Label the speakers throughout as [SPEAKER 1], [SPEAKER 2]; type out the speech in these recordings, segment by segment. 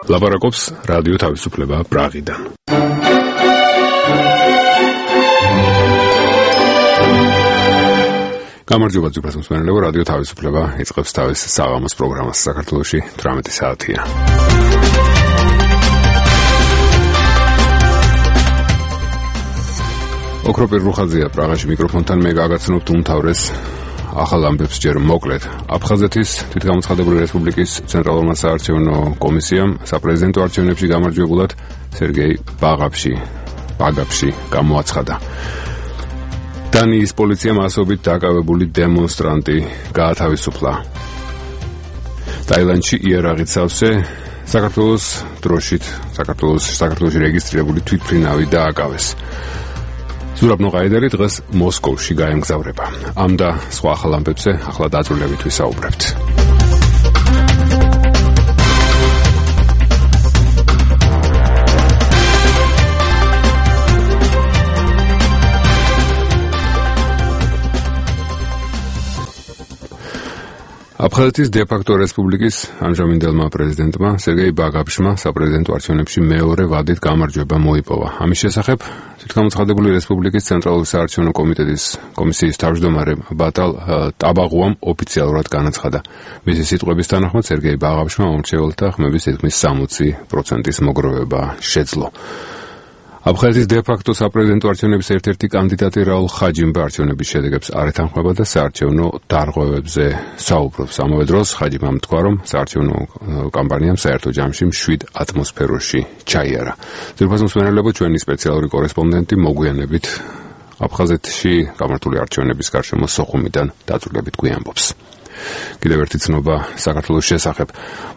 [SPEAKER 1] ლაპარაკობს რადიო თავისუფლება პრაღიდან. გამარჯობა ძვირფას მსმენელებო, რადიო თავისუფლება იწყებს თავის საღამოს პროგრამას. საქართველოში 18 საათია. ოქროპირ რუხაძეა პრაღაში მიკროფონთან, მე გაგაცნობთ უმთავრეს ახალ ამბებს ჯერ მოკლედ. აფხაზეთის თვითგამოცხადებული რესპუბლიკის ცენტრალურმა საარჩევნო კომისიამ საპრეზიდენტო არჩევნებში გამარჯვებულად სერგეი ბაგაფში გამოაცხადა. დანიის პოლიციამ ასობით დაკავებული დემონსტრანტი გაათავისუფლა. ტაილანდში იარაღით სავსე საქართველოში რეგისტრირებული თვითმფრინავი დააკავეს. ზურაბ ნოყაიდელი დღეს მოსკოვში გაემგზავრება. ამ და სხვა ახალ ამბებზე ახლა დაწვრილებით ვისაუბრებთ. აფხაზეთის დე-ფაქტო რესპუბლიკის ამჟამინდელმა პრეზიდენტმა სერგეი ბაგაფშმა საპრეზიდენტო არჩევნებში მეორე ვადით გამარჯვება მოიპოვა. ამის შესახებ თვითგამოცხადებული რესპუბლიკის ცენტრალური საარჩევნო კომისიის თავმჯდომარე ბატალ ტაბაღუამ ოფიციალურად განაცხადა. მისი სიტყვების თანახმად სერგეი ბაგაფშმა მომრჩეველთა ხმების თითქმის 60%-ის მოგროვება შეძლო. აფხაზეთის დე-ფაქტო საპრეზიდენტო არჩევნების ერთ-ერთი კანდიდატი რაულ ხაჯიმბა არჩევნების შედეგებს არ ეთანხმება და საარჩევნო დარღვევებზე საუბრობს. ამავე დროს ხაჯიმბამ თქვა, რომ საარჩევნო კამპანიამ საერთო ჯამში მშვიდ ატმოსფეროში ჩაიარა. ძვირფას მსმენელებო, ჩვენი სპეციალური კორესპონდენტი მოგვიანებით აფხაზეთში გამართული არჩევნების გარშემო სოხუმიდან დაწვრილებით გვიამბობს. კიდევ ერთი ცნობა საქართველოს შესახებ.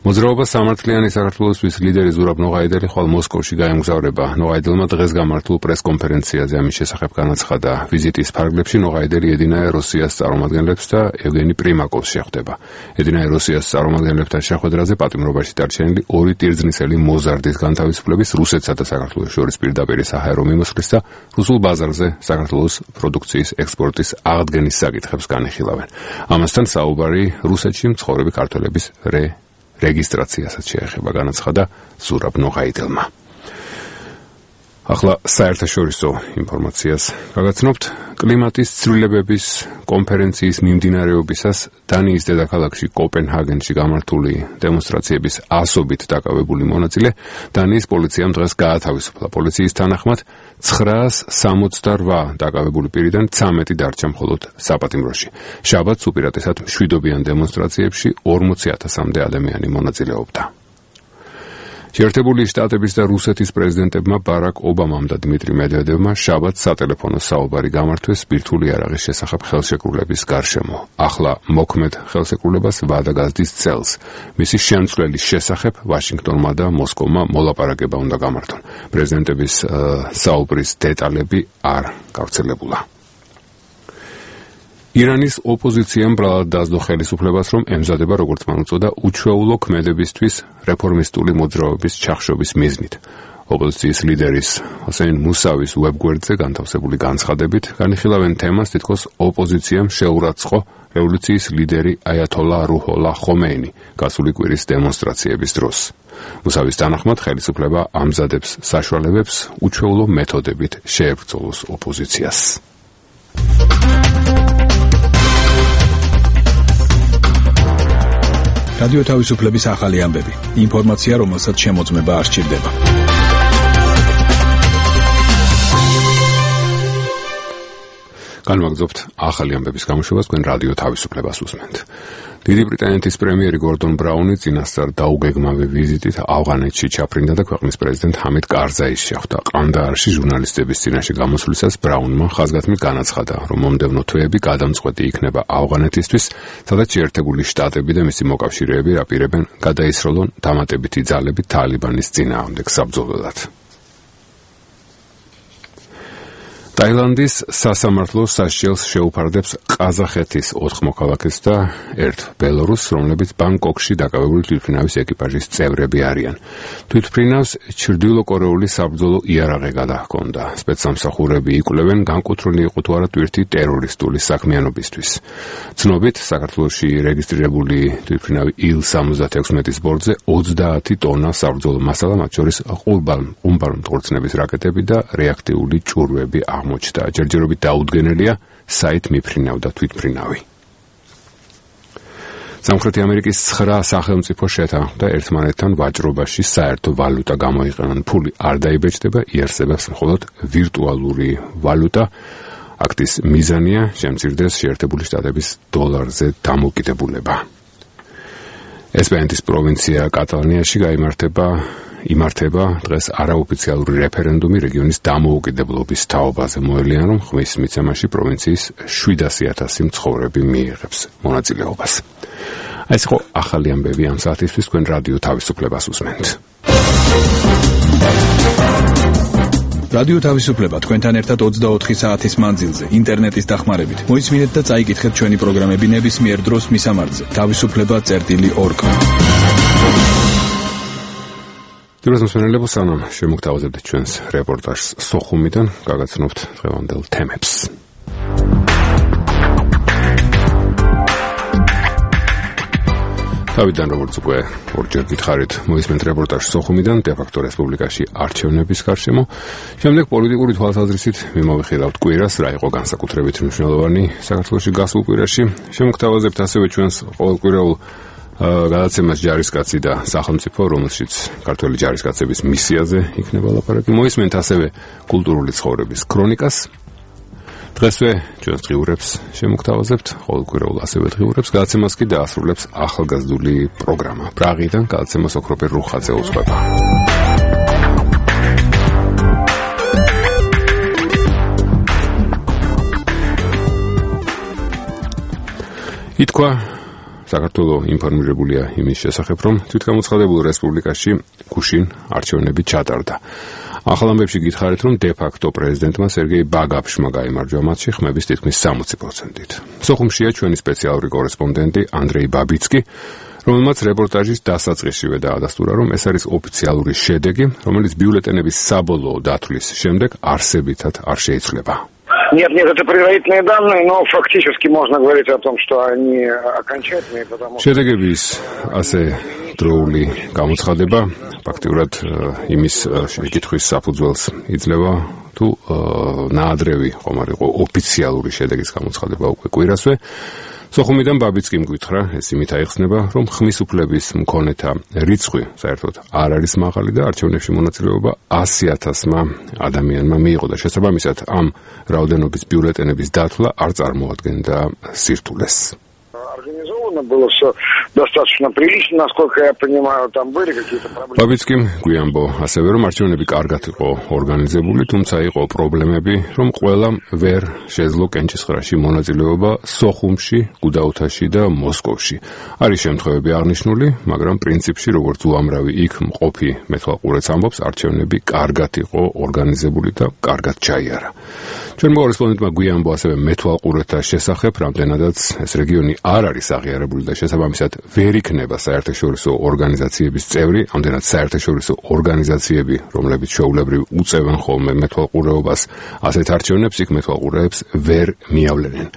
[SPEAKER 1] მოძრაობა სამართლიანი საქართველოსთვის ლიდერი ზურაბ ნოყაიდელი ხვალ მოსკოვში გაემგზავრება. ნოყაიდელმა დღეს გამართულ პრესკონფერენციაზე ამის შესახებ განაცხადა. ვიზიტის ფარგლებში ნოყაიდელი ედინაია რუსიას წარმომადგენლებს და ევგენი პრიმაკოვს შეხვდება. ედინაია რუსიას წარმომადგენლებთან შეხვედრაზე პატიმრობაში დარჩენილი ორი ტირზნისელი მოზარდის განთავისუფლების, რუსეთსა და საქართველოს შორის პირდაპირ საჰაერო მიმოსვლის და რუსულ ბაზარზე საქართველოს პროდუქციის ექსპორტის აღდგენის საკითხებს განიხილავენ. ამასთან საუბარი რუსეთში მცხოვრები ქართველების რეგისტრაციასაც შეეხება, განაცხადა ზურაბ ნოყაიდელმა. ახლა საერთაშორისო ინფორმაციას გაგაცნობთ. კლიმატის ცვლილებების კონფერენციის მიმდინარეობისას დანიის დედაქალაქში კოპენჰაგენში გამართული დემონსტრაციების ასობით დაკავებული მონაწილე დანიის პოლიციამ დღეს გაათავისუფლა. პოლიციის თანახმად 968 დაკავებული პირიდან 13 დარჩა მხოლოდ საპატიმროში. შაბათს უპირატესად მშვიდობიან დემონსტრაციებში 40,000-მდე ადამიანი მონაწილეობდა. შეერთებული შტატების და რუსეთის პრეზიდენტებმა ბარაკ ობამამ და დმიტრი მედვედევმა შაბათს სატელეფონო საუბარი გამართვეს ბირთვული იარაღის შესახებ ხელშეკრულების გარშემო. ახლა მოქმედ ხელშეკრულებას ვადა გაზდის წელს. მისი შემცვლელის შესახებ ვაშინგტონმა და მოსკოვმა მოლაპარაკება უნდა გამართონ. პრეზიდენტების საუბრის დეტალები არ გავრცელებულა. ირანის ოპოზიციამ ბრალად დაასდო ხელისუფლებას, რომ ემზადება, როგორც მან უწოდა, უჩვეულო ქმედებისთვის რეფორმისტული მოძრაობის ჩახშობის მიზნით. ოპოზიციის ლიდერის ჰოსეინ მუსავის ვებგვერდზე განთავსებული განცხადებით განიხილავენ თემას, თითქოს ოპოზიციამ შეურაცხო რევოლუციის ლიდერი აიათოლა რუჰოლა ხომეინი გასული კვირის დემონსტრაციების დროს. მუსავის თანახმად ხელისუფლება ამზადებს საშუალებებს უჩვეულო მეთოდებით შეებრძოლოს ოპოზიციას.
[SPEAKER 2] რადიო თავისუფლების ახალი ამბები. ინფორმაცია, რომელსაც შემოწმება არ სჭირდება.
[SPEAKER 1] განვაგრძობთ ახალი ამბების გამოშვებას, თქვენ რადიო თავისუფლებას უსმენთ. დიდი ბრიტანეთის პრემიერი გორდონ ბრაუნი წინასწარ დაუგეგმავი ვიზიტით ავღანეთში ჩაფრინდა და ქვეყნის პრეზიდენტ ჰამიდ კარზაის შეხვდა. ყანდაარში ჟურნალისტების წინაშე გამოსვლისას ბრაუნმა ხაზგასმით განაცხადა, რომ მომდევნო თვეები გადამწყვეტი იქნება ავღანეთისთვის, სადაც შეერთებული შტატები და მისი მოკავშირეები აპირებენ გადაისროლონ დამატებითი ძალები თალიბანის წინააღმდეგ საბრძოლველად. ტაილანდის სასამართლო სასჯელს შეუფარდებს ყაზახეთის 4 მოქალაქეს და 1 ბელორუსს, რომლებიც ბანგკოკში დაკავებული თვითმფრინავის ეკიპაჟის წევრები არიან. თვითმფრინავს ჩრდილოკორეული საბრძოლო იარაღი გადაჰქონდა. სპეცსამსახურები იკვლევენ, განკუთვნილი იყო თუ არა ტვირთი ტერორისტული საქმიანობისთვის. ცნობით, საქართველოში რეგისტრირებული თვითმფრინავი Il-76-ის ბორტზე 30 ტონა საბრძოლო მასალა, მათ შორის ყუმბალმტკვრცნების რაკეტები და რეაქტიული ჭურვები აღმოჩნდა. ჯერჯერობით დაუდგენელია საით მიფრინავ და თვითმფრინავი. სამხრეთი ამერიკის 9 სახელმწიფო შეთანხმდა ერთმანეთთან ვაჭრობაში საერთო ვალუტა გამოიყენონ. ფული არ დაიბეჭდება, იარსებებს მხოლოდ ვირტუალური ვალუტა. აქტის მიზანია შემცირდეს შეერთებული შტატების დოლარზე დამოკიდებულება. ესპანეთის პროვინცია კატალონიაში იმართება დღეს არაოფიციალური რეფერენდუმი რეგიონის დამოუკიდებლობის თაობაზე. მოელიან, რომ ხმის მიცემაში პროვინციის 700,000 მცხოვრები მიიღებს მონაწილეობას. ეს იყო ახალი ამბები ამ საათისთვის, თქვენ რადიო თავისუფლებას უსმენთ.
[SPEAKER 2] რადიო თავისუფლება თქვენთან ერთად 24 საათის მანძილზე ინტერნეტის დახმარებით. მოისმინეთ და წაიკითხეთ ჩვენი პროგრამები ნებისმიერ დროს მისამართზე. თავისუფლება.org.
[SPEAKER 1] დიახ, მოსმენელებო, სანამ შემოგთავაზებთ ჩვენს რეპორტაჟს სოხუმიდან, გაგაცნობთ დღევანდელ თემებს. თავიდან, როგორც უკვე ორჯერ გითხარით, მოისმენთ რეპორტაჟს სოხუმიდან, დე-ფაქტო რესპუბლიკაში არჩევნების გარშემო. შემდეგ პოლიტიკური თვალსაზრისით მიმოვიხილავთ კვირას, რა იყო განსაკუთრებით მნიშვნელოვანი საქართველოში გასულ კვირაში. შემოგთავაზებთ ასევე ჩვენს ყოველკვირეულ გადაცემას ჯარისკაცი და სახელმწიფო, რომელშიც ქართველი ჯარისკაცების მისიაზე იქნება ლაპარაკი. მოისმენთ ასევე კულტურული ცხოვრების ქრონიკას. დღესვე ჩვენს დღიურებს შემოგთავაზებთ, ყოველკვირეულ ასევე დღიურებს. გადაცემას კი დაასრულებს ახალგაზრდული პროგრამა. პრაღიდან გადაცემას ოქროპერ რუხაძე უძღვება. ითქვა, საქართველო ინფორმირებულია იმის შესახებ, რომ თვითგამოცხადებულ რესპუბლიკაში გუშინ არჩევნები ჩატარდა. ახალ ამბებში გითხარით, რომ დე-ფაქტო პრეზიდენტმა სერგეი ბაგაფშმა გაიმარჯვა მათში ხმების თითქმის 60%-ით. სოხუმშია ჩვენი სპეციალური კორესპონდენტი ანდრეი ბაბიცკი, რომელმაც რეპორტაჟის დასაწყისშივე დაადასტურა, რომ ეს არის ოფიციალური შედეგი, რომელიც ბიულეტენების საბოლოო დათვლის შემდეგ არსებითად არ შეიცვლება.
[SPEAKER 3] Нет, это предварительные данные, но фактически можно говорить о том, что они окончательные, потому что...
[SPEAKER 1] შედეგების ასე დროული გამოცხადება ფაქტიურად იმის შეკითხვის საფუძველს იძლევა, თუ ნაადრევი ხომ არ იყო ოფიციალური შედეგის გამოცხადება უკვე კვირასვე. სოხუმიდან ბაბიცკიმ გითხრა, ეს იმით აიხსნება, რომ ხმის უფლების მქონეთა რიცხვი საერთოდ არ არის მაღალი და არჩევნებში მონაწილეობა 100,000-მა ადამიანმა მიიღო და შესაბამისად ამ რაოდენობის ბიულეტენების დათვლა არ წარმოადგენდა სირთულეს.
[SPEAKER 3] Было все достаточно прилично, насколько я понимаю, там были какие-то проблемы.
[SPEAKER 1] Бабицким გვიანბო ასევე რომ არჩევნები კარგად იყო ორგანიზებული, თუმცა იყო პრობლემები, რომ ყველამ ვერ შეძლო კენჭისყრაში მონაწილეობა სოხუმში, გუდაუთაში და მოსკოვში. არის შემთხვევები აღნიშნული, მაგრამ პრინციპში როგორც უამრავი იქ მყოფი მეთვალყურეც ამბობს, არჩევნები კარგად იყო ორგანიზებული და კარგად ჩაიარა. ჩვენმა კორესპონდენტმა გვიანბო ასევე მეთვალყურეთა შესახებ, რამდენადაც ეს რეგიონი არ არის აღიარებული და შესაბამისად ვერ იქნება საერთაშორისო ორგანიზაციების წევრი, ამდენად საერთაშორისო ორგანიზაციები, რომლებიც ჩვეულებრივ უწევენ ხოლმე მეთვალყურეობას ასეთ არჩევნებს, იქ მეთვალყურეებს ვერ მიავლენენ.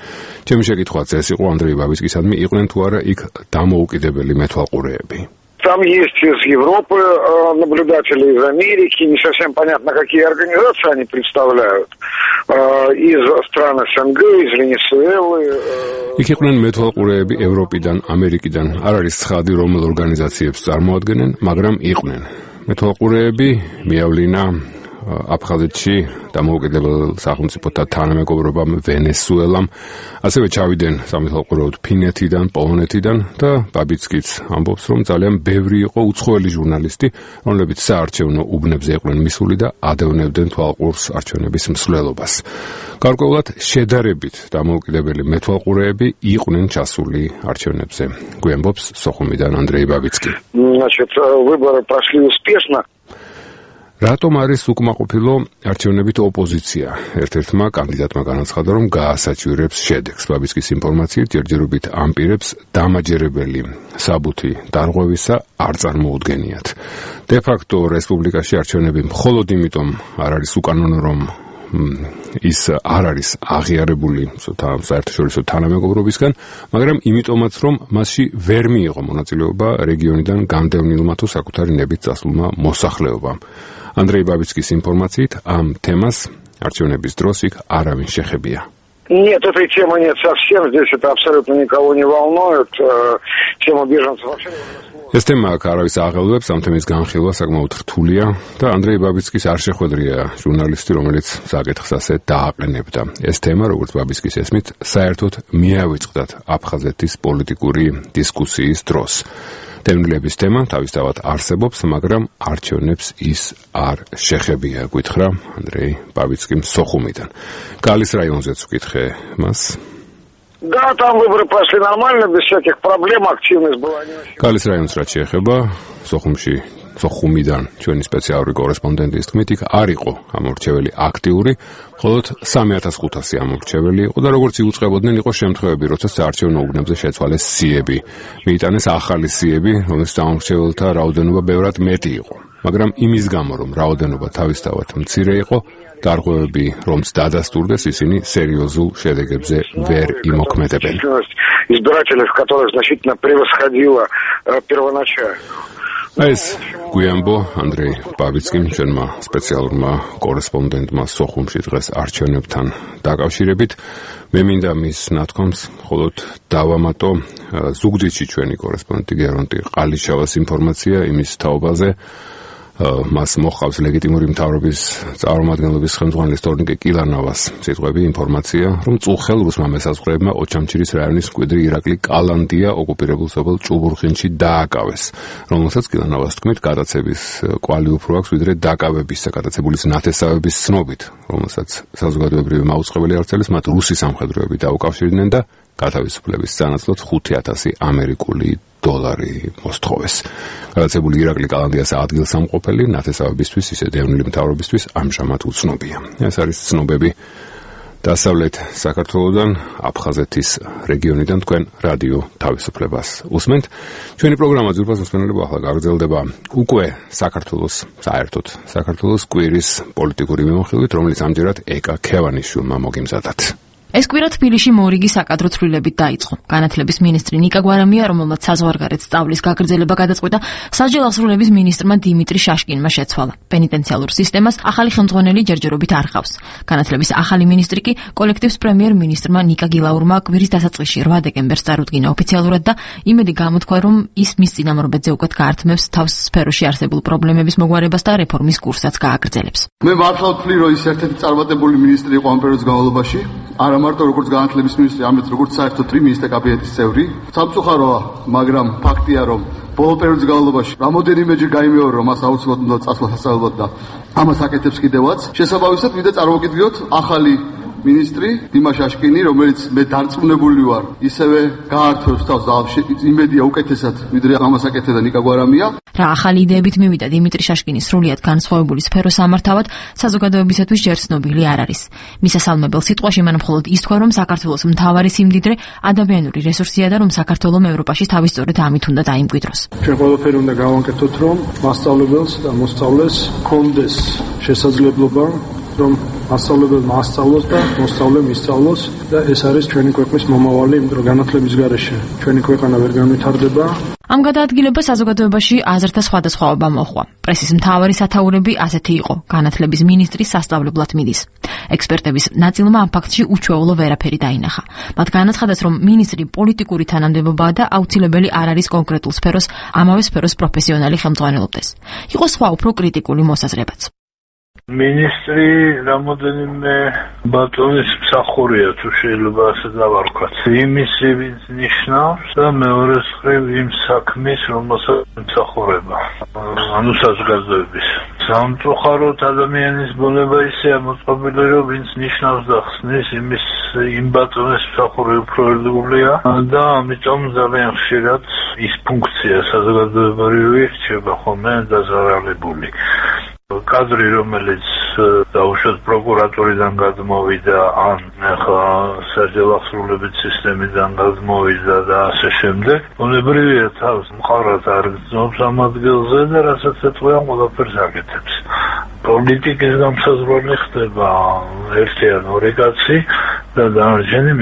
[SPEAKER 1] ჩემი შეკითხვაც ეს იყო ანდრეი ბაბიცკისადმი, იყვნენ თუ არა იქ დამოუკიდებელი მეთვალყურეები.
[SPEAKER 3] Там есть из Европы наблюдатели, из Америки, не совсем понятно, какие организации они представляют, из стран СНГ, из Венесуэлы.
[SPEAKER 1] იქ იყვნენ მეთვალყურეები ევროპიდან, ამერიკიდან, არ არის ცხადი რომელ ორგანიზაციებს წარმოადგენენ, მაგრამ იყვნენ. მეთვალყურეები მიავლინა აფხაზეთში დამოუკიდებელ სახელმწიფოთა თანამეგობრობამ ვენესუელამ, ასევე ჩავიდნენ სამეთვალყურეოდ ფინეთიდან, პოლონეთიდან და ბაბიცკიც ამბობს, რომ ძალიან ბევრი იყო უცხოელი ჟურნალისტი, რომლებიც საარჩევნო უბნებზე იყვნენ მისული და ადევნებდნენ თვალყურს არჩევნების მსვლელობას. გარკვეულად შედარებით დამოუკიდებელი მეთვალყურეები იყვნენ ჩასული არჩევნებზე. გვიამბობს სოხუმიდან ანდრეი ბაბიცკი.
[SPEAKER 3] Значит, выборы прошли успешно.
[SPEAKER 1] რატომ არის უკმაყოფილო არჩევნებით ოპოზიცია? ერთ-ერთმა კანდიდატმა განაცხადა, რომ გაასაჩივრებს შედეგს. ბაბიცკის ინფორმაციით, ჯერჯერობით ამ პირებს დამაჯერებელი საბუთი დარღვევისა არ წარმოუდგენიათ. De facto რესპუბლიკაში არჩევნები მხოლოდ იმიტომ არ არის უკანონო, რომ ის არ არის აღიარებული საერთაშორისო თანამეგობრობისგან, მაგრამ იმიტომაც, რომ მასში ვერ მიიღო მონაწილეობა რეგიონიდან განდევნილმა თუ საკუთარი ნებით წასულმა მოსახლეობამ. Андрей Бабицкис информациით ამ თემას არჩევნების დროს იქ არავინ შეხებია.
[SPEAKER 3] Нет, этой темы нет совсем, здесь это абсолютно никого не волнует, тема беженцев вообще не волнует.
[SPEAKER 1] ეს თემა არავის აღელვებს, ამ თემის განხილვა საკმაოდ რთულია და Андрей Бабицкис არ შეხვედრია ჟურნალისტი, რომელიც საკითხს ასე დააყენებდა. ეს თემა, როგორც Бабицкис ესმით, საერთოდ მიავიწყდათ აფხაზეთის პოლიტიკური დისკუსიის დროს. დევნილების თემა თავისთავად არსებობს, მაგრამ არჩევნებს ის არ შეხებია, გითხრა Андрей Бабицким სოხუმიდან. გალის რაიონზეც ვკითხე მას.
[SPEAKER 3] Да, там выборы прошли нормально, без всяких проблем, активность была не очень.
[SPEAKER 1] გალის რაიონს რაც შეეხება, სოხუმიდან ჩვენი სპეციალური კორესპონდენტის თქმით, იქ არ იყო ამორჩეველი აქტიური, მხოლოდ 3500 ამორჩეველი იყო და როგორც იუწყებოდნენ, იყო შემთხვევები, როცა საარჩევნო უბნებზე შეცვალეს სიები. მიიტანეს ახალი სიები, რომელთა ამორჩეველთა რაოდენობა ბევრად მეტი იყო. მაგრამ იმის გამო, რომ რაოდენობა თავისთავად მცირე იყო, დარღვევები რომც დადასტურდეს, ისინი სერიოზულ შედეგებზე ვერ იმოქმედებენ.
[SPEAKER 3] Избирателей, в которых значительно превосходила первоначально.
[SPEAKER 1] ეს გვიანბო Андрей Бабицким ჩვენმა სპეციალურმა კორესპონდენტმა სოხუმში დღეს არჩევნებთან დაკავშირებით. მე მინდა მის ნათქვამს მხოლოდ დავამატო ზუგდიდში ჩვენი კორესპონდენტი გერონტი ყალიშავას ინფორმაცია იმის თაობაზე. მას მოყავს ლეგიტიმური მთავრობის წარმომადგენლობის ხელმძღვანელის თორნიკე კილანოვას სიტყვები, ინფორმაცია, რომ წუხელ რუსმა მესაზღვრეებმა ოჩამჩირის რაიონის მკვიდრი ირაკლი კალანდია ოკუპირებულ სოფელ ჭუბურხინში დააკავეს, რომელსაც კილანოვას თქმით გადაცების კვალი უფრო აქვს, ვიდრე დაკავების საკადაცებულის ნათესავების ცნობით, რომელსაც საზოგადოებრივი მაუწყებელი ავრცელის მათ რუსი სამხედროები დაუკავშირდნენ და გათავისუფლების სანაცვლოდ 5000 ამერიკული დოლარი მოსთხოვეს. გადაცებული ირაკლი კალანდიას ადგილსამყოფელი ნათესავებისთვის, ისე დევნილი მთავრობისთვის ამჟამად უცნობია. ეს არის ცნობები დასავლეთ საქართველოსდან, აფხაზეთის რეგიონიდან თქვენ რადიო თავისუფლებას უსმენთ. ჩვენი პროგრამა ძვირფას მოსმენელებო ახლა გაგრძელდება უკვე საერთოდ საქართველოს კვირის პოლიტიკური მიმოხილვით, რომელიც ამჯერად ეკა ქევანიშვილმა მოგიმზადათ.
[SPEAKER 4] ეს კვირა თბილისში მორიგი საკადრო ცვლილებით დაიწყო. განათლების მინისტრი ნიკა გვარამია, რომელმაც საზღვარგარეთ სწავლის გაგრძელება გადაწყვიტა, სასჯელ აღსრულების მინისტრმა დიმიტრი შაშკინმა შეცვალა. პენიტენციალურ სისტემას ახალი ხელმძღვანელი ჯერჯერობით არ ყავს. განათლების ახალი მინისტრი კი კოლექტივს პრემიერ-მინისტრმა ნიკა გილაურმა კვირის დასაწყისში 8 დეკემბერს წარუდგინა ოფიციალურად და იმედი გამოთქვა, რომ ის მის წინამორბედზე უკეთ გაართმევს თავს სფეროში არსებულ პრობლემების მოგვარებას და რეფორმის კურსსაც გააგრძელებს.
[SPEAKER 5] მე მართლად ვთვლი, რომ ის ერთ-ერთი წარმატებული მინისტრი იყო ამ პერიოდის განმავლობაში. არა მარტო როგორც განათლების მინისტრი, არამედ როგორც საერთოდ მინისტრთა კაბინეტის წევრი. სამწუხაროა, მაგრამ ფაქტია, რომ ბოლო პერიოდის განმავლობაში რამოდენიმეჯერ გაიმეორა, რომ მას აუცილებლად უნდა წასვლა სასწავლებლად და ამას აკეთებს კიდევაც. შესაბამისად, მინდა წარმოვიდგინოთ ახალი მინისტრი დიმა შაშკინი, რომელიც მე დარწმუნებული ვარ, ისევე გაართვევს თავს და იმედია უკეთესად, ვიდრე ამას აკეთებდა ნიკა გვარამია.
[SPEAKER 4] რა ახალი იდეებით მივიდა დიმიტრი შაშკინის სრულიად განსხვავებული სფეროს ამართავად, საზოგადოებისათვის ჯერ ცნობილი არ არის. მისასალმებელ სიტყვაში მან მხოლოდ ის თქვა, რომ საქართველოს მთავარი სიმდიდრე ადამიანური რესურსია და რომ საქართველოს ევროპაში თავის სწორედ ამით უნდა დაიმკვიდროს.
[SPEAKER 6] ჩვენ ყველაფერი უნდა გავანკეთოთ, რომ მასწავლებელს და მოსწავლეს ჰქონდეს შესაძლებლობა, რომ მასწავლებელმა ასწავლოს და მოსწავლე მისწავლოს და ეს არის ჩვენი ქვეყნის მომავალი, იმიტომ რომ განათლების გარეშე ჩვენი ქვეყანა ვერ განვითარდება.
[SPEAKER 4] ამ გადაადგილებას საზოგადოებაში აზრთა სხვადასხვაობა მოჰყვა. პრესის მთავარი სათაურები ასეთი იყო: განათლების მინისტრი სასწავლებლად მიდის. ექსპერტების ნაწილმა ამ ფაქტში უჩვეულო ვერაფერი დაინახა. მათ განაცხადეს, რომ მინისტრი პოლიტიკური თანამდებობაა და აუცილებელი არ არის კონკრეტულ სფეროს, ამავე სფეროს პროფესიონალი ხელმძღვანელობდეს. იყო სხვა უფრო კრიტიკული მოსაზრებაც.
[SPEAKER 7] მინისტრი რამოდენიმე ბატონის მსახურია, თუ შეიძლება ასე დავარქვათ. იმის ვინც ნიშნავს და მეორე მხრივ იმ საქმის, რომელსაც მსახურება. ანუ საზოგადოების. სამწუხაროდ ადამიანის ბუნება ისეა მოწყობილი, რომ ვინც ნიშნავს და ხსნის, იმ ბატონის მსახური უფრო ერთგულია და ამიტომ ძალიან ხშირად ის ფუნქცია საზოგადოებრივი რჩება ხოლმე დაზარალებული. კადრი, რომელიც დაუშვათ პროკურატურიდან გადმოვიდა, ან ახლა საჯარო აღსრულების სისტემიდან გადმოვიდა და ასე შემდეგ. უნებრივია თავს მხარად არ გრძნობს ამ ადგილზე და რასაც ეთქვია, ყველაფერს აკეთებს. პოლიტიკის გამსაზღვრელი ხდება ერთი ან ორი კაცი და დანარჩენი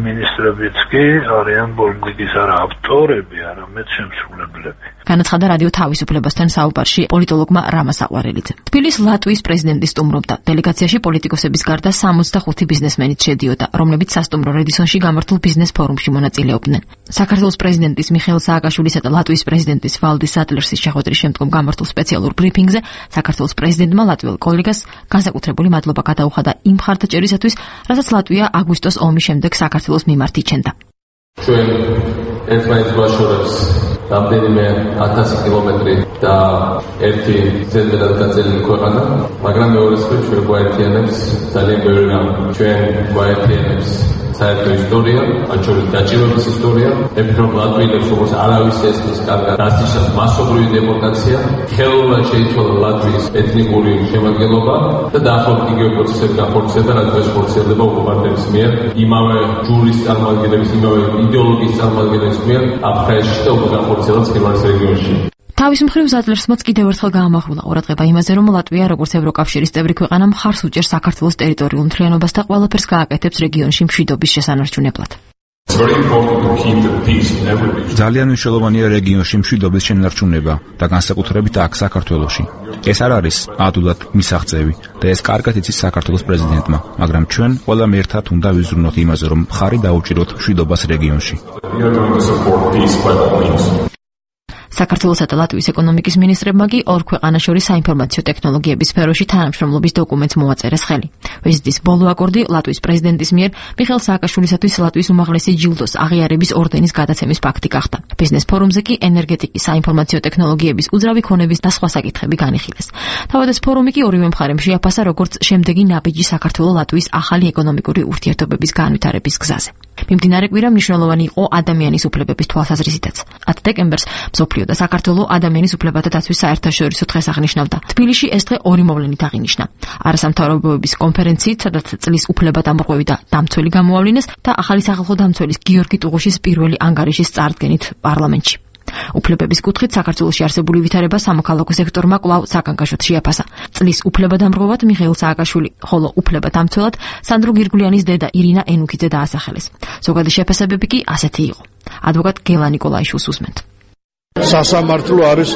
[SPEAKER 7] მინისტრებიც კი არიან პოლიტიკის არა ავტორები, არამედ შემსრულებლები.
[SPEAKER 4] განაცხადა რადიო თავისუფლებასთან საუბარში პოლიტოლოგმა რამაზ აყვარელიძე. თბილისის ლატვიის პრეზიდენტი სტუმრობდა. დელეგაციაში პოლიტიკოსების გარდა 65 ბიზნესმენიც შედიოდა, რომლებიც სასტუმრო რედისონში გამართულ ბიზნეს ფორუმში მონაწილეობდნენ. საქართველოს პრეზიდენტის მიხეილ სააკაშვილისა და ლატვიის პრეზიდენტის ვალდის ადლერსის შეხვედრის შემდგომ გამართულ სპეციალურ ბრიფინგზე საქართველოს პრეზიდენტმა ლატვიელ კოლეგას განსაკუთრებული მადლობა გადაუხადა იმ მხარდაჭერისათვის, რასაც ლატვია აგვისტოს ომის შემდეგ საქართველოს მიმართ იჩენდა.
[SPEAKER 8] ჩვენ ერთმანეთს ვაშორებს რამდენიმე 1000 კილომეტრი და ერთი ზედმეტად გაწელილი ქვეყანა, მაგრამ მეორეს მხრივ ჩვენ გვაერთიანებს ძალიან ბევრი რამ. ჩვენ გვაერთიანებს საერთო ისტორია, მათ შორის დაჭირების ისტორია, ეფრომ ლატვიელებს როგორც არავის ესმის კარგად დასიშავს მასობრივი დეპორტაცია, ხელოვნურად შეიცვალა ლატვიის ეთნიკური შემადგენლობა და დაახლოებით იგივე პროცესები განხორციელდა, რაც დღეს ხორციელდება ოკუპანტების მიერ, იმავე ჯურის წარმომადგენლების, იმავე იდეოლოგიის წარმომადგენლების მიერ აფხაზეთში და უკვე განხორციელდა ცხინვალის რეგიონში.
[SPEAKER 4] თავის მხრივ ზადლერსმაც კიდევ ერთხელ გაამახვილა ყურადღება იმაზე, რომ ლატვია როგორც ევროკავშირის წევრი ქვეყანა მხარს უჭერს საქართველოს ტერიტორიულ მთლიანობას და ყველაფერს გააკეთებს რეგიონში მშვიდობის შესანარჩუნებლად.
[SPEAKER 2] ძალიან მნიშვნელოვანია რეგიონში მშვიდობის შენარჩუნება და განსაკუთრებით აქ საქართველოში. ეს არ არის ადვილად მისაღწევი და ეს კარგად იცის საქართველოს პრეზიდენტმა, მაგრამ ჩვენ ყველამ ერთად უნდა ვიზრუნოთ იმაზე, რომ მხარი დაუჭიროთ მშვიდობას რეგიონში. საქართველოსა და ლატვიის ეკონომიკის მინისტრებმა კი ორ ქვეყანას შორის საინფორმაციო ტექნოლოგიების სფეროში თანამშრომლობის დოკუმენტს მოაწერეს ხელი. ვიზიტის ბოლო აკორდი ლატვიის პრეზიდენტის მიერ მიხეილ სააკაშვილისათვის ლატვიის უმაღლესი ჯილდოს აღიარების ორდენის გადაცემის ფაქტი გახდა. ბიზნეს ფორუმზე კი ენერგეტიკის, საინფორმაციო ტექნოლოგიების, უძრავი ქონების და სხვა საკითხები განიხილეს. თავად ეს ფორუმი კი ორივე მხარემ შეაფასა როგორც შემდეგი ნაბიჯი საქართველო-ლატვიის ახალი ეკონომიკური ურთიერთობების განვითარების გზაზე. მიმდინარე კვირა მნიშვნელოვანი იყო ადამიანის უფლებების თვალსაზრისითაც. 10 დეკემბერს მსოფლიო და საქართველოს ადამიანის უფლებათა დაცვის საერთაშორისო დღეს აღნიშნავდა. თბილისში ეს დღე ორი მოვლენით აღინიშნა. არასამთავრობოების კონფერენციით, სადაც წლის უფლებადამრღვევი და დამცველი გამოავლინეს და ახალი სახალხო დამცველის გიორგი ტუღუშის პირველი ანგარიშის წარდგენით პარლამენტში. უფლებების კუთხით საქართველოში არსებული ვითარება სამოქალაქო სექტორმა კვლავ საგანგაშოდ შეაფასა. წლის უფლებადამრღვევად მიხეილ სააკაშვილი, ხოლო უფლებადამცველად სანდრო გირგვლიანის დედა ირინა ენუქიძე დაასახელეს. ზოგადი შეფასებები კი ასეთი იყო. ადვოკატ გელა ნიკოლაიშვილს უსმენთ.
[SPEAKER 6] სასამართლო არის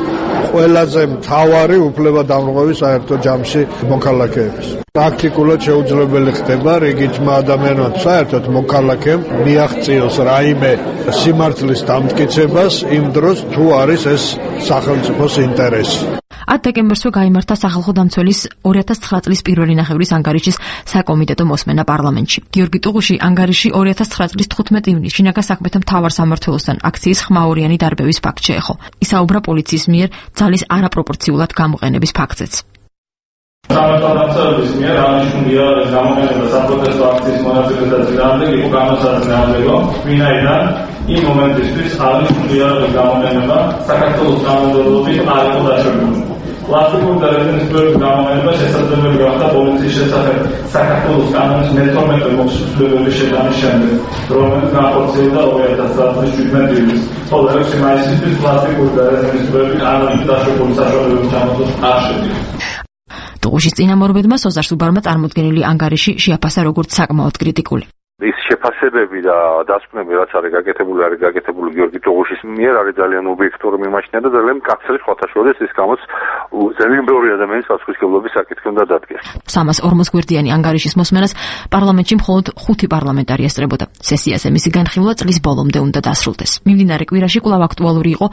[SPEAKER 6] ყველაზე მთავარი უფლებადამრღვევი საერთო ჯამში მოქალაქეების. პრაქტიკულად შეუძლებელი ხდება რიგითმა ადამიანმა საერთოდ მოქალაქემ მიაღწიოს რაიმე სიმართლის დამტკიცებას იმ დროს თუ არის ეს სახელმწიფოს ინტერესი.
[SPEAKER 4] 10 დეკემბერსვე გაიმართა სახალხო დამცველის 2009 წლის პირველი ნახევრის ანგარიშის საკომიტეტო მოსმენა პარლამენტში. გიორგი ტუღუში ანგარიში 2009 წლის 15 ივნისში შინაგან საქმეთა მთავარ სამმართველოსთან აქციის ხმაურიანი დარბევის ფაქტ შეეხო. ისაუბრა პოლიციის მიერ ძალის არაპროპორციულად გამოყენების ფაქტზეც.
[SPEAKER 9] სამმართველოს მიერ აღნიშნულია გამოყენება საპროტესტო აქციის მონაწილეთა წინააღმდეგ იყო განსაზღვრავება, ვინაიდან იმ მომენტისთვის აღნიშნულია გამოყენება საქართველოს კანონმდებლობით არ იყო დაშვებული. პლასტიკური და რეზინისფერული გამოყენება შესაძლებელი გახდა პოლიციის შესახებ საქართველოს კანონის მე-12 მოხსნების შეტანის შემდეგ, რომელიც განხორციელდა 2010 წლის 17 ივნისს. ხოლო 6 მაისისთვის პლასტიკური და რეზინისფერული კანონის დაშვებული საშუალებების ჩამოთვლა არ შედიოდა.
[SPEAKER 4] ტუღუშის წინამორბედმა სოზარ სუბარმა წარმოდგენილი ანგარიში შეაფასა როგორც საკმაოდ კრიტიკული.
[SPEAKER 10] ის შეფასებები და დასკვნები, რაც არის გაკეთებული გიორგი ტუღუშის მიერ, არის ძალიან ობიექტური მიმაჩნია და ძალიან მკაცრი სხვათა შორის ის გამოც ძალიან ბევრი ადამიანის პასუხისმგებლობის საკითხი უნდა დადგეს.
[SPEAKER 4] 340 გვერდიანი ანგარიშის მოსმენას პარლამენტში მხოლოდ 5 პარლამენტარი ესწრებოდა. სესიაზე მისი განხილვა წლის ბოლომდე უნდა დასრულდეს. მიმდინარე კვირაში კვლავ აქტუალური იყო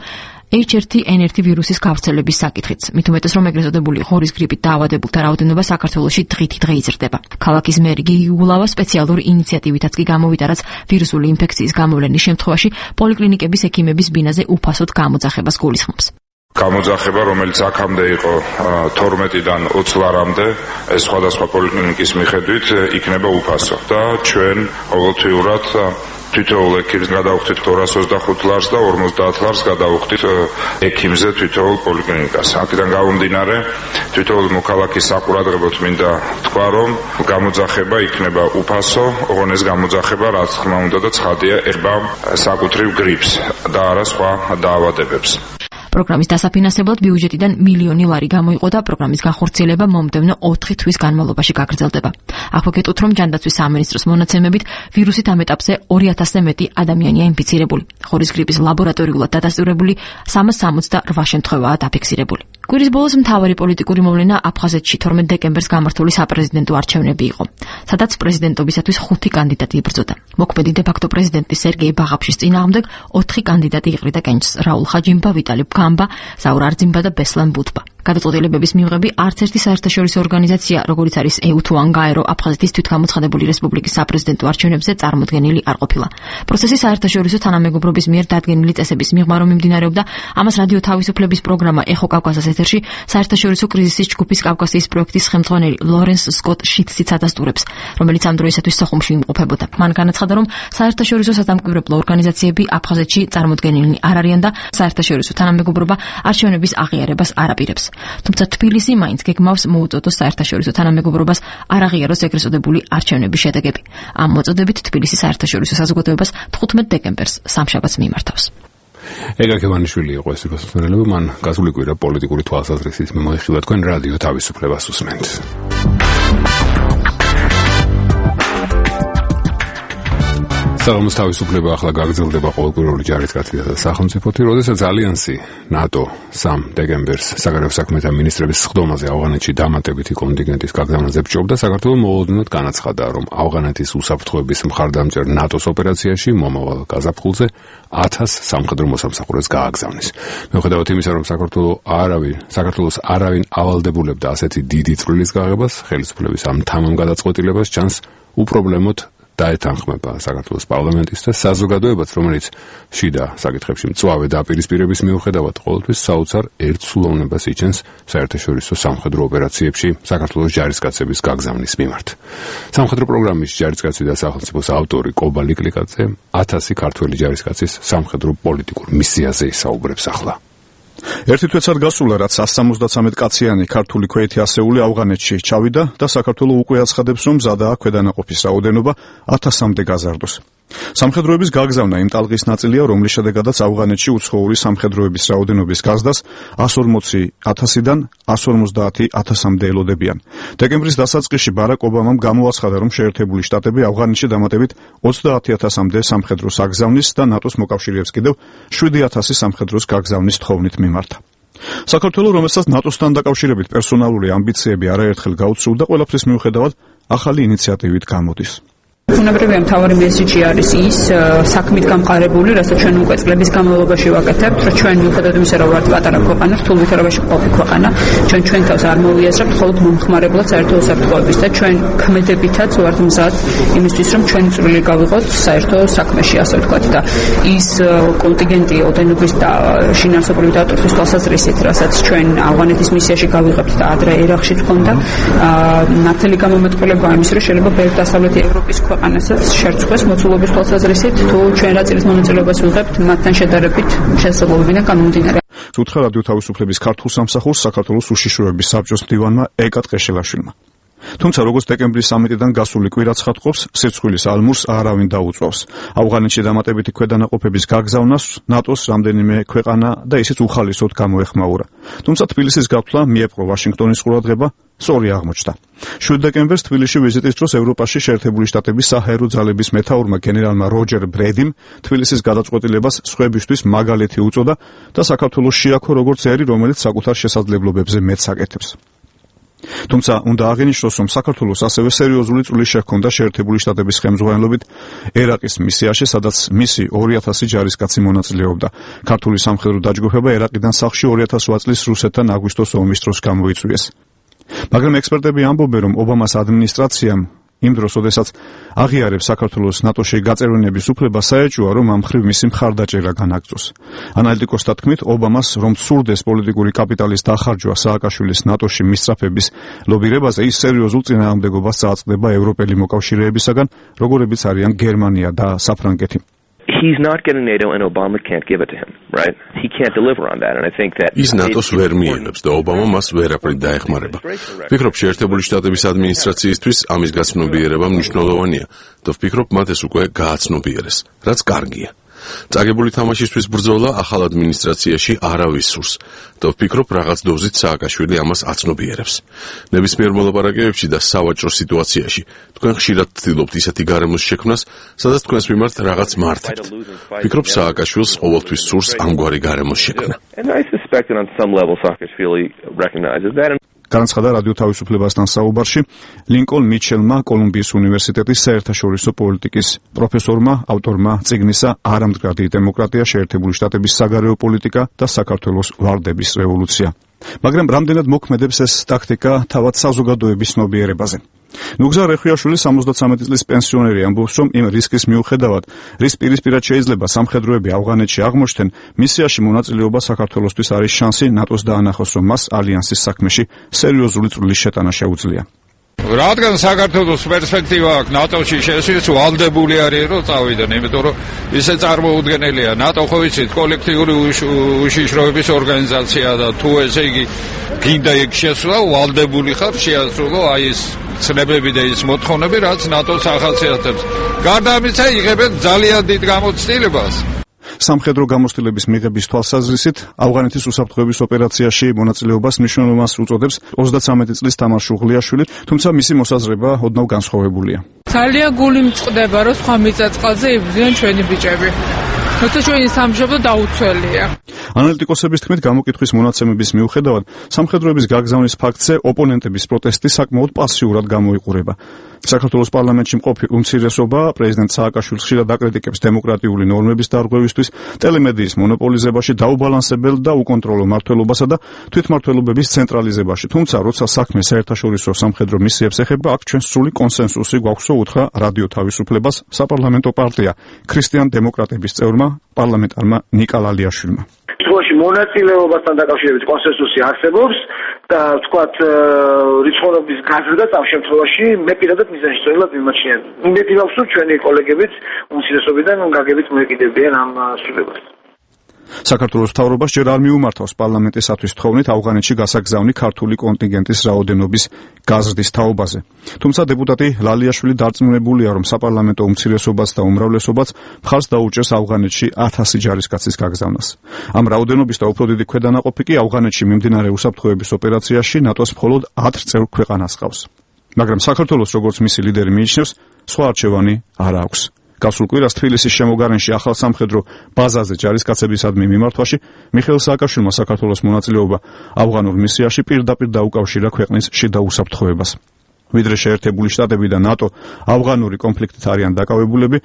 [SPEAKER 4] H1N1 ვირუსის გავრცელების საკითხიც. მით უმეტეს რომ ეგრეთ წოდებული ღორის გრიპით დაავადებულთა რაოდენობა საქართველოში დღითიდღე იზრდება. ქალაქის მერი გიგი გულავა სპეციალური ინიციატივითაც კი გამოვიდა, რაც ვირუსული ინფექციის გამოვლენის შემთხვევაში პოლიკლინიკების ექიმების ბინაზე უფასოდ გამოძახებას გულისხმობს.
[SPEAKER 11] გამოძახება, რომელიც აქამდე იყო 12-დან 20 ლარამდე, ეს სხვადასხვა პოლიკლინიკის მიხედვით იქნება უფასო და ჩვენ ყოველთვიურად თითოეულ ექიმს გადავხდით 225 ლარს და 50 ლარს გადავხდით ექიმზე თითოეულ პოლიკლინიკას. აქედან გამომდინარე, თითოეულ მოქალაქის საყურადღებოდ მინდა თქვა, რომ გამოძახება იქნება უფასო, ოღონდ ეს გამოძახება რაც თქმა უნდა და ცხადია ეხება საკუთრივ გრიპს და არა სხვა დაავადებებს.
[SPEAKER 2] პროგრამის დასაფინანსებლად ბიუჯეტიდან მილიონი ლარი გამოიყო და პროგრამის განხორციელება მომდევნო 4 თვის განმავლობაში გაგრძელდება. აქვე გეტყვით, რომ ჯანდაცვის სამინისტროს მონაცემებით ვირუსით ამ ეტაპზე 2000-ზე მეტი ადამიანია ინფიცირებული. ხორის გრიპის ლაბორატორიულად დადასტურებული 368 შემთხვევაა დაფიქსირებული. კვირის ბოლოს მთავარი პოლიტიკური მოვლენა აფხაზეთში 12 დეკემბერს გამართული საპრეზიდენტო არჩევნები იყო, სადაც პრეზიდენტობისათვის 5 კანდიდატი იბრძოდა. მოქმედი დე-ფაქტო პრეზიდენტის სერგეი ბაღაფშის წინააღმდეგ 4 კანდიდატი იყრიდა კენჭს: რაულ ხაჯიმბა, ვიტალი გამბა, ზაურ არძიმბა და ბესლან ბუთბა. გადაწყვეტილებების მიღები არც ერთი საერთაშორისო ორგანიზაცია, როგორიც არის EU თუ ANGAERO, აფხაზეთის თვითგამოცხადებული რესპუბლიკის საპრეზიდენტო არჩევნებზე წარმოდგენილი არ ყოფილა. პროცესი საერთაშორისო თანამეგობრობის მიერ დადგენილი წესების მიღმა რომ მიმდინარეობდა, ამას რადიო თავისუფლების პროგრამა ეხო კავკასიის ეთერში საერთაშორისო კრიზისის ჯგუფის კავკასიის პროექტის ხელმძღვანელი ლორენს სკოტ შიტსიც ადასტურებს, რომელიც ამ დროისათვის სოხუმში იმყოფებოდა. მან განაცხადა, რომ საერთაშორისო სადამკვირვებლო ორგანიზაციები აფხაზეთში წარმოდგენილნი არ არიან და საერთაშორისო თანამეგობრობა არჩევნების აღიარებას არ აპირებს. თუმცა თბილისი მაინც გეგმავს მოუწოდოს საერთაშორისო თანამეგობრობას არ აღიაროს ეგრეთ წოდებული არჩევნების შედეგები. ამ მოწოდებით თბილისის საერთაშორისო საზოგადოებას 15 დეკემბერს სამშაბათს მიმართავს.
[SPEAKER 1] ეგა ქევანიშვილი იყო ეს მოსმენელები, მან გასული კვირა პოლიტიკური თვალსაზრისით მოიხილა თქვენ რადიო თავისუფლებას უსმენთ. საღამოს თავისუფლება ახლა გაგრძელდება ყოველკვირეული ჯარისკაცისა და სახელმწიფოთი, როდესაც ალიანსი ნატო 3 დეკემბერს საგარეო საქმეთა მინისტრების სხდომაზე ავღანეთში დამატებითი კონტინგენტის გაგზავნაზე ბჭობდა, საქართველო მოულოდნელად განაცხადა, რომ ავღანეთის უსაფრთხოების მხარდამჭერ ნატოს ოპერაციაში მომავალ გაზაფხულზე 1000 სამხედრო მოსამსახურეს გააგზავნის. მიუხედავად იმისა, რომ საქართველოს არავინ ავალდებულებდა ასეთი დიდი წვლილის გაღებას, ხელისუფლების ამ თამამ გადაწყვეტილებას ჩანს უპრობლემოდ დაეთანხმება საქართველოს პარლამენტის და საზოგადოებაც, რომელიც შიდა საკითხებში მწვავე დაპირისპირების მიუხედავად ყოველთვის საოცარ ერთსულოვნებას იჩენს საერთაშორისო სამხედრო ოპერაციებში საქართველოს ჯარისკაცების გაგზავნის მიმართ. სამხედრო პროგრამის ჯარისკაცი და სახელმწიფოს ავტორი კობა ლიკლიკაძე 1000 ქართველი ჯარისკაცის სამხედრო პოლიტიკურ მისიაზე ისაუბრებს ახლა.
[SPEAKER 12] ერთი თვეცად გასულა, რაც 173 კაციანი ქართული ქვეითი ასეული ავღანეთში ჩავიდა და საქართველო უკვე აცხადებს, რომ მზადაა ქვედანაყოფის რაოდენობა 1000-მდე გაზარდოს. სამხედროების გაგზავნა იმ ტალღის ნაწილია, რომლის შედეგადაც ავღანეთში უცხოური სამხედროების რაოდენობის გაზრდას 140,000-დან 150,000-მდე ელოდებიან. დეკემბრის დასაწყისში ბარაკ ობამამ გამოაცხადა, რომ შეერთებული შტატები ავღანეთში დამატებით 30,000-მდე სამხედროს აგზავნის და ნატოს მოკავშირეებს კიდევ 7,000 სამხედროს გაგზავნის თხოვნით მიმართა. საქართველო, რომელსაც ნატოსთან დაკავშირებით პერსონალური ამბიციები არაერთხელ გაუცრუდა, ყველაფრის მიუხედავად ახალი ინიციატივით გამოდის.
[SPEAKER 13] ბუნებრივია მთავარი მესიჯი არის ის საქმით გამყარებული, რასაც ჩვენ უკვე წლების განმავლობაში ვაკეთებთ, რომ ჩვენ მიუხედავად იმისა, რომ ვართ პატარა ქვეყანა, რთულ ვითარებაში მყოფი ქვეყანა, ჩვენ თავს არ მოვიაზრებთ მხოლოდ მომხმარებლად საერთო უსაფრთხოების და ჩვენ ქმედებითაც ვართ მზად იმისთვის, რომ ჩვენი წვლილი გავიღოთ საერთო საქმეში, ასე ვთქვათ და ის კონტინგენტი ოდენობის და შინაარსობრივი დატვირთვის თვალსაზრისით, რასაც ჩვენ ავღანეთის მისიაში გავიღებთ და ადრე ერაყშიც ჰქონდა, ნათელი გამომეტყველება იმის, რომ შეიძლება ბევრი დასავლეთი ევროპის ქვეყანასაც შერწყოს მოცულობის თვალსაზრისით, თუ ჩვენ რა წილის მონაწილეობას ვიღებთ მათთან შედარებით შესაძლებლობიდან გამომდინარე.
[SPEAKER 12] უთხრა რადიო თავისუფლების ქართულ სამსახურს საქართველოს უშიშროების საბჭოს მდივანმა ეკა ტყეშელაშვილმა. თუმცა როგორც დეკემბრის სამიტიდან გასული კვირა ცხადყოფს, სირცხვილის ალმურს არავინ დაუწვავს. ავღანეთში დამატებითი ქვედანაყოფების გაგზავნას ნატოს რამდენიმე ქვეყანა და ისიც უხალისოდ გამოეხმაურა. თუმცა თბილისის გათვლა მიეპყრო ვაშინგტონის ყურადღება სწორი აღმოჩნდა. 7 დეკემბერს თბილისში ვიზიტის დროს ევროპაში შეერთებული შტატების საჰაერო ძალების მეთაურმა გენერალმა როჯერ ბრედიმ თბილისის გადაწყვეტილებას სხვებისთვის მაგალითი უწოდა და საქართველოს შეაქო როგორც ერი, რომელიც საკუთარ შესაძლებლობებზე მეტს აკეთებს. თუმცა უნდა აღინიშნოს, რომ საქართველოს ასევე სერიოზული წვლილი შეჰქონდა შეერთებული შტატების ხელმძღვანელობით ერაყის მისიაში, სადაც მისი 2000 ჯარისკაცი მონაწილეობდა. ქართული სამხედრო დაჯგუფება ერაყიდან სახლში 2008 წლის რუსეთთან აგვისტოს ომის დროს გამოიწვიეს. მაგრამ ექსპერტები ამბობენ, რომ ობამას ადმინისტრაციამ იმ დროს, როდესაც აღიარებს საქართველოს ნატოში გაწევრიანების უფლება, საეჭვოა, რომ ამ მხრივ მისი მხარდაჭერა განაგრძოს. ანალიტიკოსთა თქმით, ობამას რომ სურდეს პოლიტიკური კაპიტალის დახარჯვა სააკაშვილის ნატოში მისწრაფების ლობირებაზე, ის სერიოზულ წინააღმდეგობას წააწყდება ევროპელი მოკავშირეებისაგან, როგორებიც არიან გერმანია და საფრანგეთი.
[SPEAKER 14] He's not getting NATO and Obama can't give it to him, right? He can't deliver on that, and I think that
[SPEAKER 15] ის ნატოს ვერ მიენებს და ობამა მას ვერაფრით დაეხმარება. ვფიქრობ, შეერთებული შტატების ადმინისტრაციისთვის ამის გაცნობიერება მნიშვნელოვანია და ვფიქრობ, მათ ეს უკვე გააცნობიერეს, რაც კარგია. წაგებული თამაშისთვის ბრძოლა ახალ ადმინისტრაციაში არავის სურს და ვფიქრობ, რაღაც დოზით სააკაშვილი ამას აცნობიერებს. ნებისმიერ მოლაპარაკებებში და სავაჭრო სიტუაციაში თქვენ ხშირად ცდილობთ ისეთი გარემოს შექმნას, სადაც თქვენს მიმართ რაღაც მართებთ. ვფიქრობ, სააკაშვილს ყოველთვის სურს ამგვარი გარემოს შექმნა.
[SPEAKER 12] განაცხადა რადიო თავისუფლებასთან საუბარში ლინკოლნ მიჩელმა, კოლუმბიის უნივერსიტეტის საერთაშორისო პოლიტიკის პროფესორმა, ავტორმა წიგნისა „არამდგრადი დემოკრატია, შეერთებული შტატების საგარეო პოლიტიკა და საქართველოს ვარდების რევოლუცია“. მაგრამ რამდენად მოქმედებს ეს ტაქტიკა თავად საზოგადოების ცნობიერებაზე? ნუგზარ რეხვიაშვილი 73 წლის პენსიონერი ამბობს, რომ იმ რისკის მიუხედავად, რის პირისპირად შეიძლება სამხედროები ავღანეთში აღმოჩნდნენ, მისიაში მონაწილეობა საქართველოსთვის არის შანსი ნატოს დაანახოს, რომ მას ალიანსის საქმეში სერიოზული წვლილი შეტანა შეუძლია.
[SPEAKER 16] რადგან საქართველოს პერსპექტივა აქვს ნატოში შესვლის, ვალდებული არის რომ წავიდნენ, იმიტომ რომ ისე წარმოუდგენელია. ნატო ხო იცით, კოლექტიური უშიშროების ორგანიზაციაა და თუ ესე იგი გინდა იქ შესვლა, ვალდებული ხარ შეასრულო აი ეს ცნებები და ის მოთხოვნები, რაც ნატოს ახასიათებს. გარდა ამისა, იღებენ ძალიან დიდ გამოცდილებას.
[SPEAKER 12] სამხედრო გამოცდილების მიღების თვალსაზრისით, ავღანეთის უსაფრთხოების ოპერაციაში მონაწილეობას მნიშვნელობას უწოდებს 33 წლის თამარ შუღლიაშვილი, თუმცა მისი მოსაზრება ოდნავ განსხვავებულია.
[SPEAKER 17] ძალიან გული მწყდება, რომ სხვა მიწა-წყალზე იბრძვიან ჩვენი ბიჭები. თუმცა ჩვენი სამშობლო დაუცველია.
[SPEAKER 12] ანალიტიკოსების თქმით, გამოკითხვის მონაცემების მიუხედავად, სამხედროების გაგზავნის ფაქტზე ოპონენტების პროტესტი საკმაოდ პასიურად გამოიყურება. საქართველოს პარლამენტში მყოფი უმცირესობა პრეზიდენტ სააკაშვილს ხშირად აკრიტიკებს დემოკრატიული ნორმების დარღვევისთვის, ტელემედიის მონოპოლიზებაში, დაუბალანსებელ და უკონტროლო მმართველობასა და თვითმმართველობების ცენტრალიზებაში. თუმცა, როცა საქმე საერთაშორისო სამხედრო მისიებს ეხება, აქ ჩვენ სრული კონსენსუსი გვაქვსო, უთხრა რადიო თავისუფლებას საპარლამენტო პარტია ქრისტიან დემოკრატების წევრმა პარლამენტარმა ნიკა ლალიაშვილმა.
[SPEAKER 3] თვალში მონაწილეობასთან დაკავშირებით კონსენსუსი არსებობს და ვთქვათ რიცხოვნობის გაზრდა ამ შემთხვევაში მე პირადად მიზანშეწონილად მიმაჩნია. იმედივაქვს, რომ ჩვენი კოლეგებიც უმცირესობიდან გაგებით მოეკიდებიან ამ სრულებას.
[SPEAKER 12] საქართველოს მთავრობას ჯერ არ მიუმართავს პარლამენტისათვის თხოვნით ავღანეთში გასაგზავნი ქართული კონტინგენტის რაოდენობის გაზრდის თაობაზე. თუმცა დეპუტატი ლალიაშვილი დარწმუნებულია, რომ საპარლამენტო უმცირესობაც და უმრავლესობაც მხარს დაუჭერს ავღანეთში 1000 ჯარისკაცის გაგზავნას. ამ რაოდენობის და უფრო დიდი ქვედანაყოფი კი ავღანეთში მიმდინარე უსაფრთხოების ოპერაციაში ნატოს მხოლოდ 10 წევრ ქვეყანას ჰყავს. მაგრამ საქართველოს, როგორც მისი ლიდერი მიიჩნევს, სხვა არჩევანი არ აქვს. გასულ კვირას თბილისის შემოგარენში ახალ სამხედრო ბაზაზე ჯარისკაცებისადმი მიმართვაში მიხეილ სააკაშვილმა საქართველოს მონაწილეობა ავღანურ მისიაში პირდაპირ დაუკავშირა ქვეყნის შიდა უსაფრთხოებას. ვიდრე შეერთებული შტატები და ნატო ავღანური კონფლიქტით არიან დაკავებულები,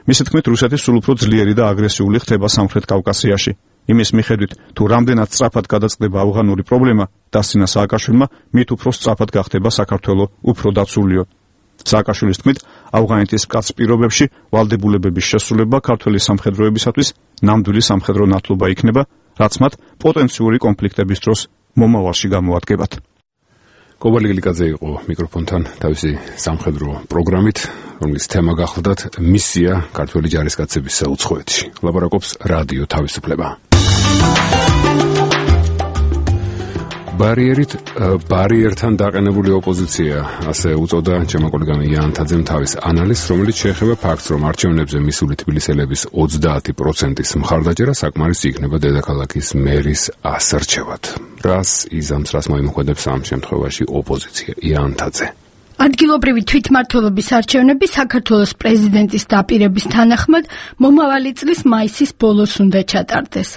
[SPEAKER 12] მისი თქმით, რუსეთი სულ უფრო ძლიერი და აგრესიული ხდება სამხრეთ კავკასიაში. იმის მიხედვით, თუ რამდენად სწრაფად გადაწყდება ავღანური პრობლემა, დასცინა სააკაშვილმა, მით უფრო სწრაფად გახდება საქართველო უფრო დაცულიო. სააკაშვილის თქმით, ავღანეთის მკაცრ პირობებში ვალდებულებების შესრულება ქართველი სამხედროებისათვის ნამდვილი სამხედრო ნათლობა იქნება, რაც მათ პოტენციური კონფლიქტების დროს მომავალში გამოადგებათ.
[SPEAKER 1] კობალი გილიკაძე იყო მიკროფონთან თავისი სამხედრო პროგრამით, რომლის თემა გახლდათ მისია ქართველი ჯარისკაცების საუცხოეთში. ლაპარაკობს რადიო თავისუფლება. ბარიერთან დაყენებული ოპოზიცია, ასე უწოდა ჩემო კოლეგამ იან თაძემ თავის ანალიზს, რომელიც შეეხება ფაქტს, რომ არჩევნებზე მისული თბილისელების 30%-ის მხარდაჭერა საკმარისი იქნება დედაქალაქის მერის ასარჩევად. რას იზამს, რას მოიმოქმედებს ამ შემთხვევაში ოპოზიცია? იან თაძე.
[SPEAKER 18] ადგილობრივი თვითმმართველობის არჩევნები საქართველოს პრეზიდენტის დაპირების თანახმად მომავალი წლის მაისის ბოლოს უნდა ჩატარდეს.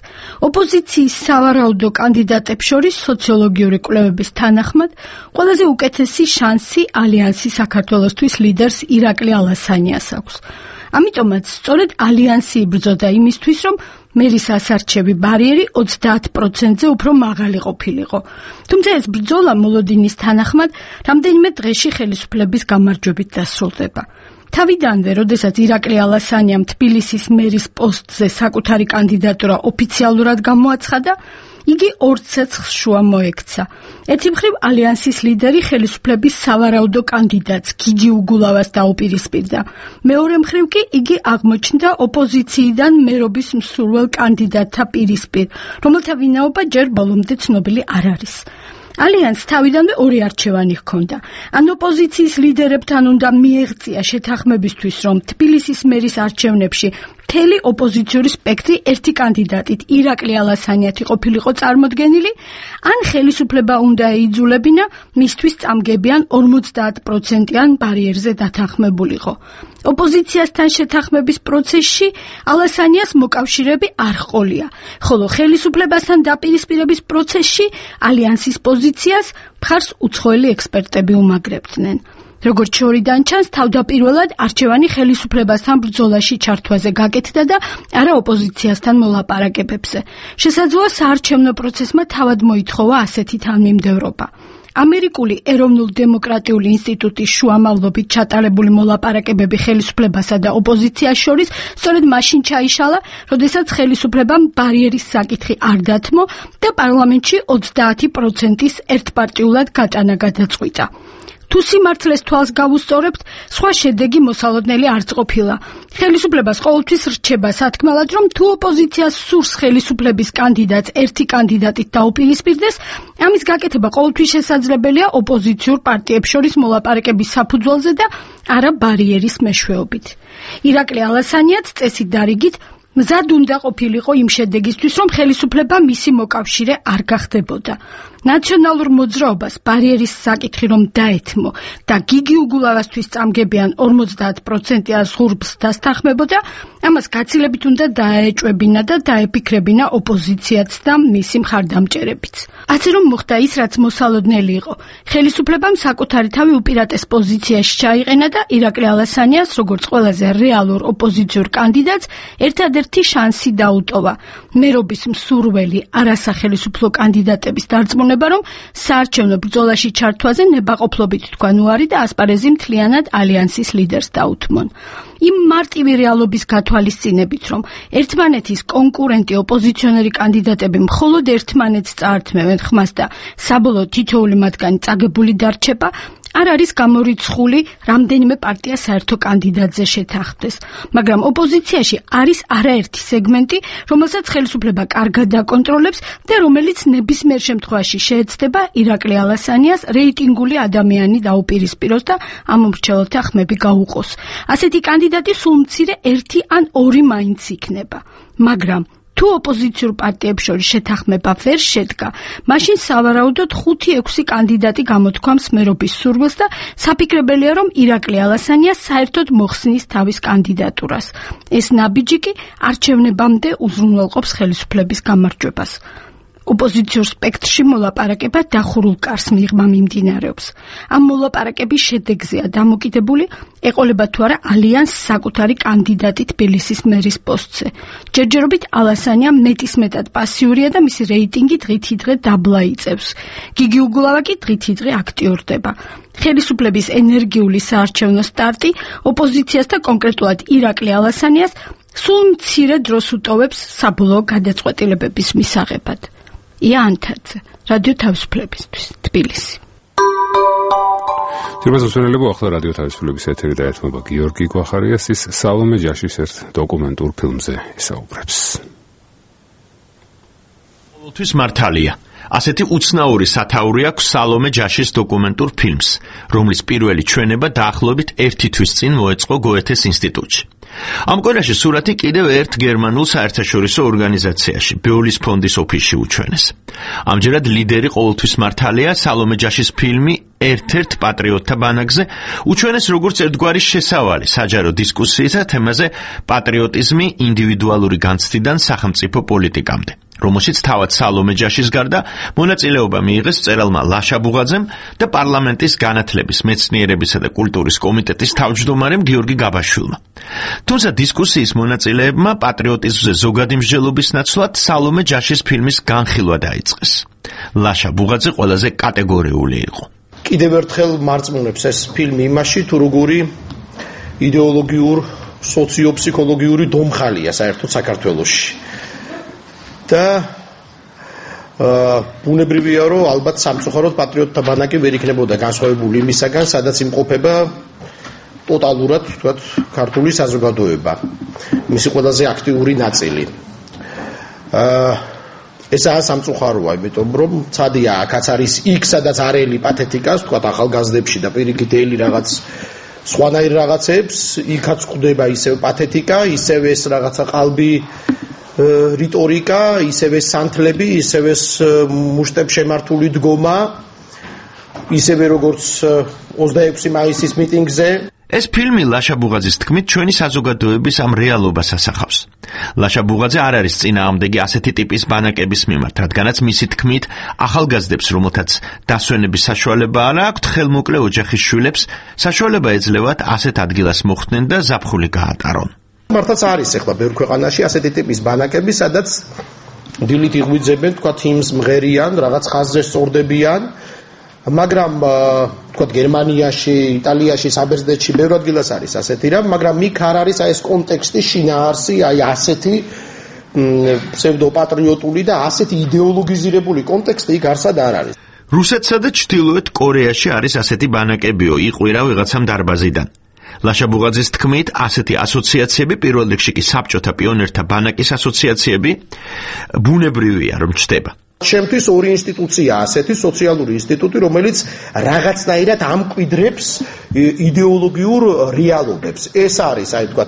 [SPEAKER 18] ოპოზიციის სავარაუდო კანდიდატებს შორის სოციოლოგიური კვლევების თანახმად ყველაზე უკეთესი შანსი ალიანსი საქართველოსთვის ლიდერს ირაკლი ალასანიას აქვს. ამიტომაც სწორედ ალიანსი იბრძოდა იმისთვის, რომ მერის ასარჩევი ბარიერი 30%-ზე უფრო მაღალი ყოფილიყო. თუმცა ეს ბრძოლა მოლოდინის თანახმად რამდენიმე დღეში ხელისუფლების გამარჯვებით დასრულდება. თავიდანვე, როდესაც ირაკლი ალასანიამ თბილისის მერის პოსტზე საკუთარი კანდიდატურა ოფიციალურად გამოაცხადა, იგი ორ ცეცხლს შუა მოექცა. ერთი მხრივ ალიანსის ლიდერი ხელისუფლების სავარაუდო კანდიდატს გიგი უგულავას დაუპირისპირდა. მეორე მხრივ კი იგი აღმოჩნდა ოპოზიციიდან მერობის მსურველ კანდიდატთა პირისპირ, რომელთა ვინაობა ჯერ ბოლომდე ცნობილი არ არის. ალიანსს თავიდანვე ორი არჩევანი ჰქონდა. ან ოპოზიციის ლიდერებთან უნდა მიეღწია შეთანხმებისთვის, რომ თბილისის მერის არჩევნებში მთელი ოპოზიციური სპექტრი ერთი კანდიდატით ირაკლი ალასანიათი ყოფილიყო წარმოდგენილი, ან ხელისუფლება უნდა ეიძულებინა მისთვის წამგებიან 50%-იან ბარიერზე დათანხმებულიყო. ოპოზიციასთან შეთანხმების პროცესში ალასანიას მოკავშირეები არ ჰყოლია, ხოლო ხელისუფლებასთან დაპირისპირების პროცესში ალიანსის პოზიციას მხარს უცხოელი ექსპერტები უმაგრებდნენ. როგორც შორიდან ჩანს, თავდაპირველად არჩევანი ხელისუფლებასთან ბრძოლაში ჩართვაზე გაკეთდა და არა ოპოზიციასთან მოლაპარაკებებზე. შესაძლოა საარჩევნო პროცესმა თავად მოითხოვა ასეთი თანმიმდევრობა. ამერიკული ეროვნულ-დემოკრატიული ინსტიტუტის შუამავლობით ჩატარებული მოლაპარაკებები ხელისუფლებასა და ოპოზიციას შორის სწორედ მაშინ ჩაიშალა, როდესაც ხელისუფლებამ ბარიერის საკითხი არ დათმო და პარლამენტში 30%-ის ერთპარტიულად გატანა გადაწყვიტა. თუ სიმართლეს თვალს გავუსწორებთ, სხვა შედეგი მოსალოდნელი არც ყოფილა. ხელისუფლებას ყოველთვის რჩება სათქმელად, რომ თუ ოპოზიციას სურს ხელისუფლების კანდიდატს ერთი კანდიდატით დაუპირისპირდეს, ამის გაკეთება ყოველთვის შესაძლებელია ოპოზიციურ პარტიებს შორის მოლაპარაკების საფუძველზე და არა ბარიერის მეშვეობით. ირაკლი ალასანიაც წესით დარიგით მზად უნდა ყოფილიყო იმ შედეგისთვის, რომ ხელისუფლება მისი მოკავშირე არ გახდებოდა. ნაციონალურ მოძრაობას ბარიერის საკითხი რომ დაეთმო და გიგი უგულავასთვის წამგებიან 50%-იან ზღურბს დასთანხმებოდა, ამას გაცილებით უნდა დაეჭვებინა და დაეფიქრებინა ოპოზიციაც და მისი მხარდამჭერებიც. ასე რომ მოხდა ის, რაც მოსალოდნელი იყო. ხელისუფლებამ საკუთარი თავი უპირატეს პოზიციაში ჩაიყენა და ირაკლი ალასანიას, როგორც ყველაზე რეალურ ოპოზიციურ კანდიდატს, ერთადერთი შანსი დაუტოვა. მერობის მსურველი არასახელისუფლო კანდიდატების დარწმუნება, რომ საარჩევნო ბრძოლაში ჩართვაზე ნებაყოფლობით თქვან უარი და ასპარეზი მთლიანად ალიანსის ლიდერს დაუთმონ. იმ მარტივი რეალობის გათვალისწინებით, რომ ერთმანეთის კონკურენტი ოპოზიციონერი კანდიდატები მხოლოდ ერთმანეთს წაართმევენ ხმას და საბოლოოდ თითოეული მათგანი წაგებული დარჩება, არ არის გამორიცხული რამდენიმე პარტია საერთო კანდიდატზე შეთანხმდეს, მაგრამ ოპოზიციაში არის არაერთი სეგმენტი, რომელსაც ხელისუფლება კარგად დაკონტროლებს და რომელიც ნებისმიერ შემთხვევაში შეეცდება ირაკლი ალასანიას რეიტინგული ადამიანი დაუპირისპიროს და ამ მომრჩეველთა ხმები გაუყოს. ასეთი კანდიდატი სულ მცირე ერთი ან ორი მაინც იქნება, მაგრამ თუ ოპოზიციურ პარტიებს შორის შეთანხმება ვერ შედგა, მაშინ სავარაუდოდ 5-6 კანდიდატი გამოთქვამს მერობის სურვილს და საფიქრებელია, რომ ირაკლი ალასანია საერთოდ მოხსნის თავის კანდიდატურას. ეს ნაბიჯი კი არჩევნებამდე უზრუნველყოფს ხელისუფლების გამარჯვებას. ოპოზიციურ სპექტრში მოლაპარაკება დახურულ კარს მიღმა მიმდინარეობს. ამ მოლაპარაკების შედეგზეა დამოკიდებული, ეყოლება თუ არა ალიანსს საკუთარი კანდიდატი თბილისის მერის პოსტზე. ჯერჯერობით ალასანია მეტისმეტად პასიურია და მისი რეიტინგი დღითიდღე დაბლა იწევს. გიგი უგულავა კი დღითიდღე აქტიურდება. ხელისუფლების ენერგიული საარჩევნო სტარტი ოპოზიციას და კონკრეტულად ირაკლი ალასანიას სულ მცირე დროს უტოვებს საბოლოო გადაწყვეტილებების მისაღებად. იანთაძე, რადიო თავისუფლებისთვის, თბილისი.
[SPEAKER 1] ძირბაზოსვენელებო, ახლა რადიო თავისუფლების ეთერი და ერთმობა გიორგი გვახარიას ის სალომე ჯაშის ერთ დოკუმენტურ ფილმზე ისაუბრებს.
[SPEAKER 19] ყოველთვის მართალია. ასეთი უცნაური სათაური აქვს სალომე ჯაშის დოკუმენტურ ფილმს, რომლის პირველი ჩვენება დაახლოებით 1 თვის წინ მოეწყო გოეთეს ინსტიტუტში. ამ კვირაში სურათი კიდევ ერთ გერმანულ საერთაშორისო ორგანიზაციაში, ბეოლის ფონდის ოფისში უჩვენეს. ამჯერად ლიდერი ყოველთვის მართალია სალომე ჯაშის ფილმი ერთ-ერთ პატრიოტთა ბანაკზე უჩვენეს როგორც ერთგვარი შესავალი საჯარო დისკუსიისა თემაზე პატრიოტიზმი ინდივიდუალური განცდიდან სახელმწიფო პოლიტიკამდე. რომელშიც თავად სალომე ჯაშის გარდა მონაწილეობა მიიღეს მწერალმა ლაშა ბუღაძემ და პარლამენტის განათლების, მეცნიერებისა და კულტურის კომიტეტის თავმჯდომარემ გიორგი გაბაშვილმა. თუმცა დისკუსიის მონაწილეებმა პატრიოტიზმზე ზოგადი მსჯელობის ნაცვლად სალომე ჯაშის ფილმის განხილვა დაიწყეს. ლაშა ბუღაძე ყველაზე კატეგორიული იყო.
[SPEAKER 20] კიდევ ერთხელ მარწმუნებს ეს ფილმი იმაში, თუ როგორი იდეოლოგიურ, სოციოფსიქოლოგიური დომხალია საერთოდ საქართველოში. და ბუნებრივია, რომ ალბათ სამწუხაროდ პატრიოტთა ბანაკი ვერ იქნებოდა განსხვავებული იმისაგან, სადაც იმყოფება ტოტალურად, თქვათ, ქართული საზოგადოება. მისი ყველაზე აქტიური ნაწილი. ესაა სამწუხაროა, იმიტომ რომ ცადია, აქაც არის იქ, სადაც არელი პათეტიკას, თქვათ, ახალგაზრდებში და პირიქით ელი რაღაც სხვანაირ რაღაცებს, იქაც გვხვდება ისევ პათეტიკა, ისევ ეს რაღაცა ყალბი რიტორიკა, ისევ ეს სანთლები, ისევ ეს მუშტებს შემართული დგომა, ისევე როგორც 26 მაისის მიტინგზე.
[SPEAKER 19] ეს ფილმი ლაშა ბუღაძის თქმით ჩვენი საზოგადოების ამ რეალობას ასახავს. ლაშა ბუღაძე არ არის წინააღმდეგი ასეთი ტიპის ბანაკების მიმართ, რადგანაც მისი თქმით ახალგაზრდებს, რომელთაც დასვენების საშუალება არ აქვთ, ხელმოკლე ოჯახის შვილებს საშუალება ეძლევათ ასეთ ადგილას მოხვდნენ და ზაფხული გაატარონ.
[SPEAKER 20] მართლაც არის ახლა ბევრ ქვეყანაში ასეთი ტიპის ბანაკები, სადაც დილით იღვიძებენ, თქვა იმს მღერიან, რაღაც ხაზზე სწორდებიან, მაგრამ თქვა გერმანიაში, იტალიაში, საბერძნეთში ბევრ ადგილას არის ასეთი რამ, მაგრამ იქ არ არის აი ეს კონტექსტი, შინაარსი, აი ასეთი ფსევდოპატრიოტული და ასეთი იდეოლოგიზირებული კონტექსტი იქ არსად არ არის.
[SPEAKER 19] რუსეთსა და ჩრდილოეთ კორეაში არის ასეთი ბანაკებიო, იყვირა ვიღაცამ დარბაზიდან. ლაშა ბუღაძის თქმით, ასეთი ასოციაციები, პირველ რიგში კი საბჭოთა პიონერთა ბანაკის ასოციაციები, ბუნებრივია რომ ჩდება.
[SPEAKER 20] ჩემთვის ორი ინსტიტუცია ასეთი სოციალური ინსტიტუტი, რომელიც რაღაცნაირად ამკვიდრებს იდეოლოგიურ რეალობებს. ეს არის, აი თქვა,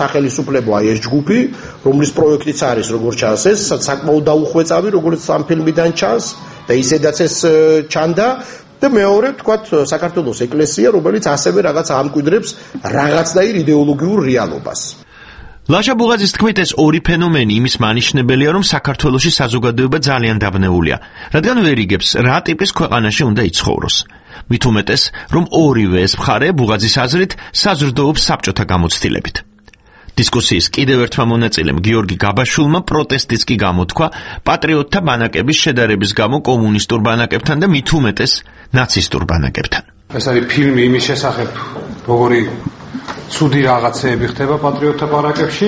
[SPEAKER 20] სახელისუფლებო აი ეს ჯგუფი, რომლის პროექტიც არის, როგორც ჩანს, ეს საკმაოდ დაუხვეწავი, როგორც ამ ფილმიდან ჩანს და ისედაც ეს ჩანდა. და მეორე, თქვათ, საქართველოს ეკლესია, რომელიც ასევე რაღაც ამკვიდრებს რაღაცნაირ იდეოლოგიურ რეალობას.
[SPEAKER 19] ლაშა ბუღაძის თქმით, ეს ორი ფენომენი იმის მანიშნებელია, რომ საქართველოში საზოგადოება ძალიან დაბნეულია, რადგან ვერ იგებს, რა ტიპის ქვეყანაში უნდა იცხოვროს. მით უმეტეს, რომ ორივე ეს მხარე ბუღაძის აზრით საზრდოობს საბჭოთა გამოცდილებით. დისკუსიის კიდევ ერთმა მონაწილემ გიორგი გაბაშვილმა პროტესტიც კი გამოთქვა პატრიოტთა ბანაკების შედარების გამო კომუნისტურ ბანაკებთან და მით უმეტეს ნაცისტურ ბანაკებთან.
[SPEAKER 6] ეს არის ფილმი იმის შესახებ, როგორი ცუდი რაღაცეები ხდება პატრიოტთა ბანაკებში.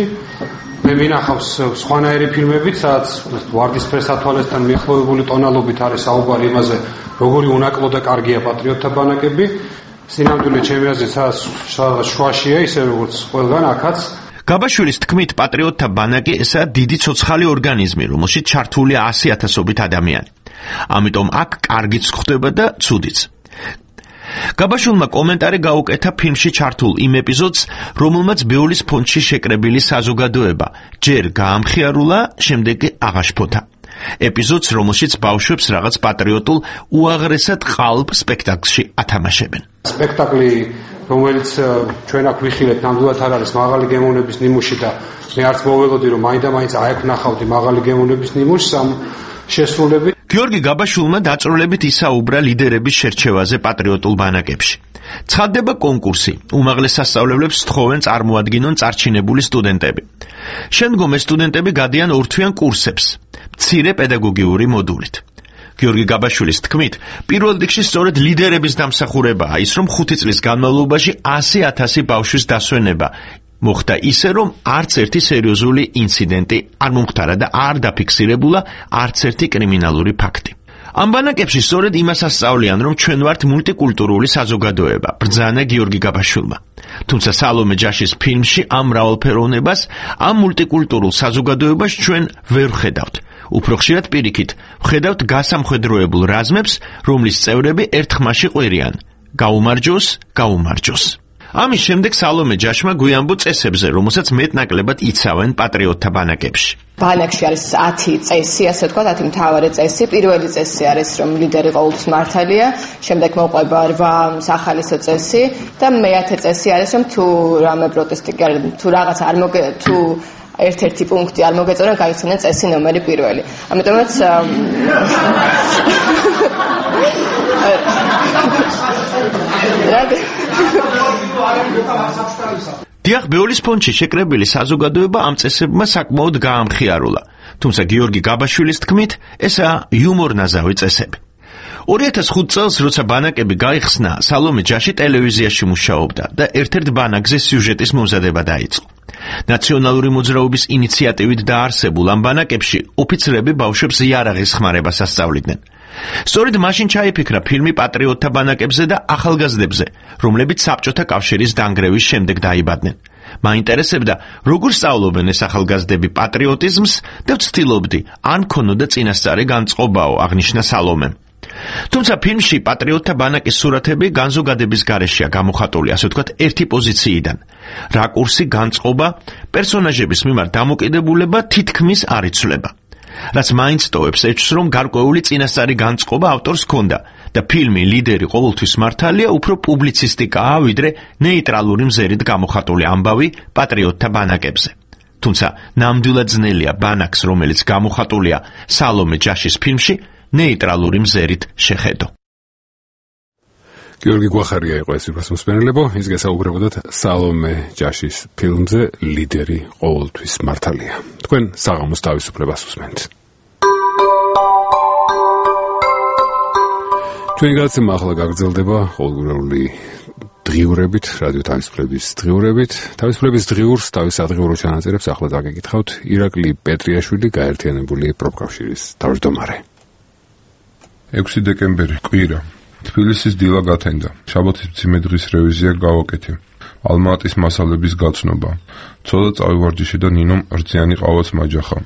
[SPEAKER 6] მე მინახავს სხვანაირი ფილმებიც, სადაც ვარდისფერ სათვალესთან მიახლოებული ტონალობით არის საუბარი იმაზე, როგორი უნაკლო და კარგია პატრიოტთა ბანაკები. სინამდვილე ჩემი აზრით, სადაც შუაშია, ისე როგორც ყველგან აქაც.
[SPEAKER 19] გაბაშვილის თქმით, პატრიოტთა ბანაკი ესაა დიდი ცოცხალი ორგანიზმი, რომელშიც ჩართულია 100,000-ობით ადამიანი. ამიტომ აქ კარგიც ხდება და ცუდიც. გაბაშვილმა კომენტარი გაუკეთა ფილმში ჩართულ იმ ეპიზოდს, რომელმაც ბეოლის ფონდში შეკრებილი საზოგადოება ჯერ გაამხიარულა, შემდეგ აღაშფოთა. ეპიზოდს, რომელშიც ბავშვებს რაღაც პატრიოტულ უაღრესად ყალბ სპექტაკლში ათამაშებენ.
[SPEAKER 6] სპექტაკლი, რომელიც ჩვენ აქ ვიხილეთ, ნამდვილად არ არის მაღალი გემოვნების ნიმუში და მე არც მოველოდი, რომ მაინდა-მაინც აექნახავდი მაღალი გემოვნების ნიმუშს ამ შესრულებით.
[SPEAKER 19] გიორგი გაბაშვილმა დაწვრილებით ისაუბრა ლიდერების შერჩევაზე პატრიოტულ ბანაკებში. ცხადდება კონკურსი, უმაღლეს სასწავლებლებს სთხოვენ წარმოადგინონ წარჩინებული სტუდენტები. შემდგომ ეს სტუდენტები გადიან ორთვიან კურსებს, მცირე პედაგოგიური მოდულით. გიორგი გაბაშვილის თქმით, პირველ რიგში სწორედ ლიდერების დამსახურებაა ის, რომ 5 წლის განმავლობაში 100,000 ბავშვის დასვენება მოხდა ისე, რომ არც ერთი სერიოზული ინციდენტი არ მომხდარა და არ დაფიქსირებულა არც ერთი კრიმინალური ფაქტი. ამ ბანაკებში სწორედ იმას ასწავლიან, რომ ჩვენ ვართ მულტიკულტურული საზოგადოება, ბრძანა გიორგი გაბაშვილმა. თუმცა სალომე ჯაშის ფილმში ამ მრავალფეროვნებას, ამ მულტიკულტურულ საზოგადოებას ჩვენ ვერ ვხედავთ. უფრო ხშირად პირიქით, ვხედავთ გასამხედროებულ რაზმებს, რომლის წევრები ერთხმაში ყვირიან: გაუმარჯოს, გაუმარჯოს. ამის შემდეგ სალომე ჯაშმა გვიამბო წესებზე, რომელსაც მეტნაკლებად იცავენ პატრიოტთა ბანაკებში.
[SPEAKER 21] ბანაკში არის 10 წესი, ასე ვთქვათ, 10 მთავარი წესი. პირველი წესი არის, რომ ლიდერი ყოველთვის მართალია, შემდეგ მოყვება 8 სახალისო წესი და მე-10 წესი არის, რომ თუ რამე პროტესტი თუ რაღაც არ თუ ერთ-ერთი პუნქტი არ მოგეწონა, გაიცანეთ წესი ნომერი 1. ამიტომაც
[SPEAKER 19] დიახ, ბეოლის ფონდში შეკრებილი საზოგადოება ამ წესებმა საკმაოდ გაამხიარულა. თუმცა გიორგი გაბაშვილის თქმით, ესაა იუმორნაზავი წესები. 2005 წელს, როცა ბანაკები გაიხსნა, სალომე ჯაში ტელევიზიაში მუშაობდა და ერთ-ერთ ბანაკზე სიუჟეტის მომზადება დაიწყო. ნაციონალური მოძრაობის ინიციატივით დაარსებულ ამ ბანაკებში ოფიცრები ბავშვებს იარაღის ხმარებას ასწავლიდნენ. სწორედ მაშინ ჩაიფიქრა ფილმი პატრიოტთა ბანაკებზე და ახალგაზრდებზე, რომლებიც საბჭოთა კავშირის დანგრევის შემდეგ დაიბადნენ. მაინტერესებდა, როგორ სწავლობენ ეს ახალგაზრდები პატრიოტიზმს და ვცდილობდი, ან ქონოდა წინასწარი განწყობაო, აღნიშნა სალომემ. თუმცა ფილმში პატრიოტთა ბანაკის სურათები განზოგადების გარეშეა გამოხატული, ასე ვთქვათ, ერთი პოზიციიდან. რაკურსი, განწყობა, პერსონაჟების მიმართ დამოკიდებულება თითქმის არ იცვლება. რაც მაინც ტოვებს ეჭვს, რომ გარკვეული წინასწარი განწყობა ავტორს ჰქონდა და ფილმი ლიდერი ყოველთვის მართალია უფრო პუბლიცისტიკაა, ვიდრე ნეიტრალური მზერით გამოხატული ამბავი პატრიოტთა ბანაკებზე. თუმცა ნამდვილად ძნელია ბანაკს, რომელიც გამოხატულია სალომე ჯაშის ფილმში, ნეიტრალური მზერით შეხედო.
[SPEAKER 1] გიორგი გვახარია იყო ეს მოსმენელებო, ის გესაუბრებოდათ სალომე ჯაშის ფილმზე ლიდერი ყოველთვის მართალია. თქვენ საღამოს თავისუფლებას უსმენთ. ჩვენი გადაცემა ახლა გაგრძელდება ყოველგვარული დღიურებით, რადიო თავისუფლების დღიურებით. თავისუფლების დღიურს თავის ადგილობრივ ჩანაწერებს ახლა დაგეკითხავთ ირაკლი პეტრიაშვილი, გაერთიანებული პროფკავშირის თავმჯდომარე.
[SPEAKER 5] 6 დეკემბერი, კვირა. თბილისის დილა გათენდა. შაბათის მძიმე დღის რევიზია გავაკეთე. ალმატის მასალების გაცნობა. ცოტა წავივარჯიშე და ნინომ რძიანი ყავაც მაჯახა.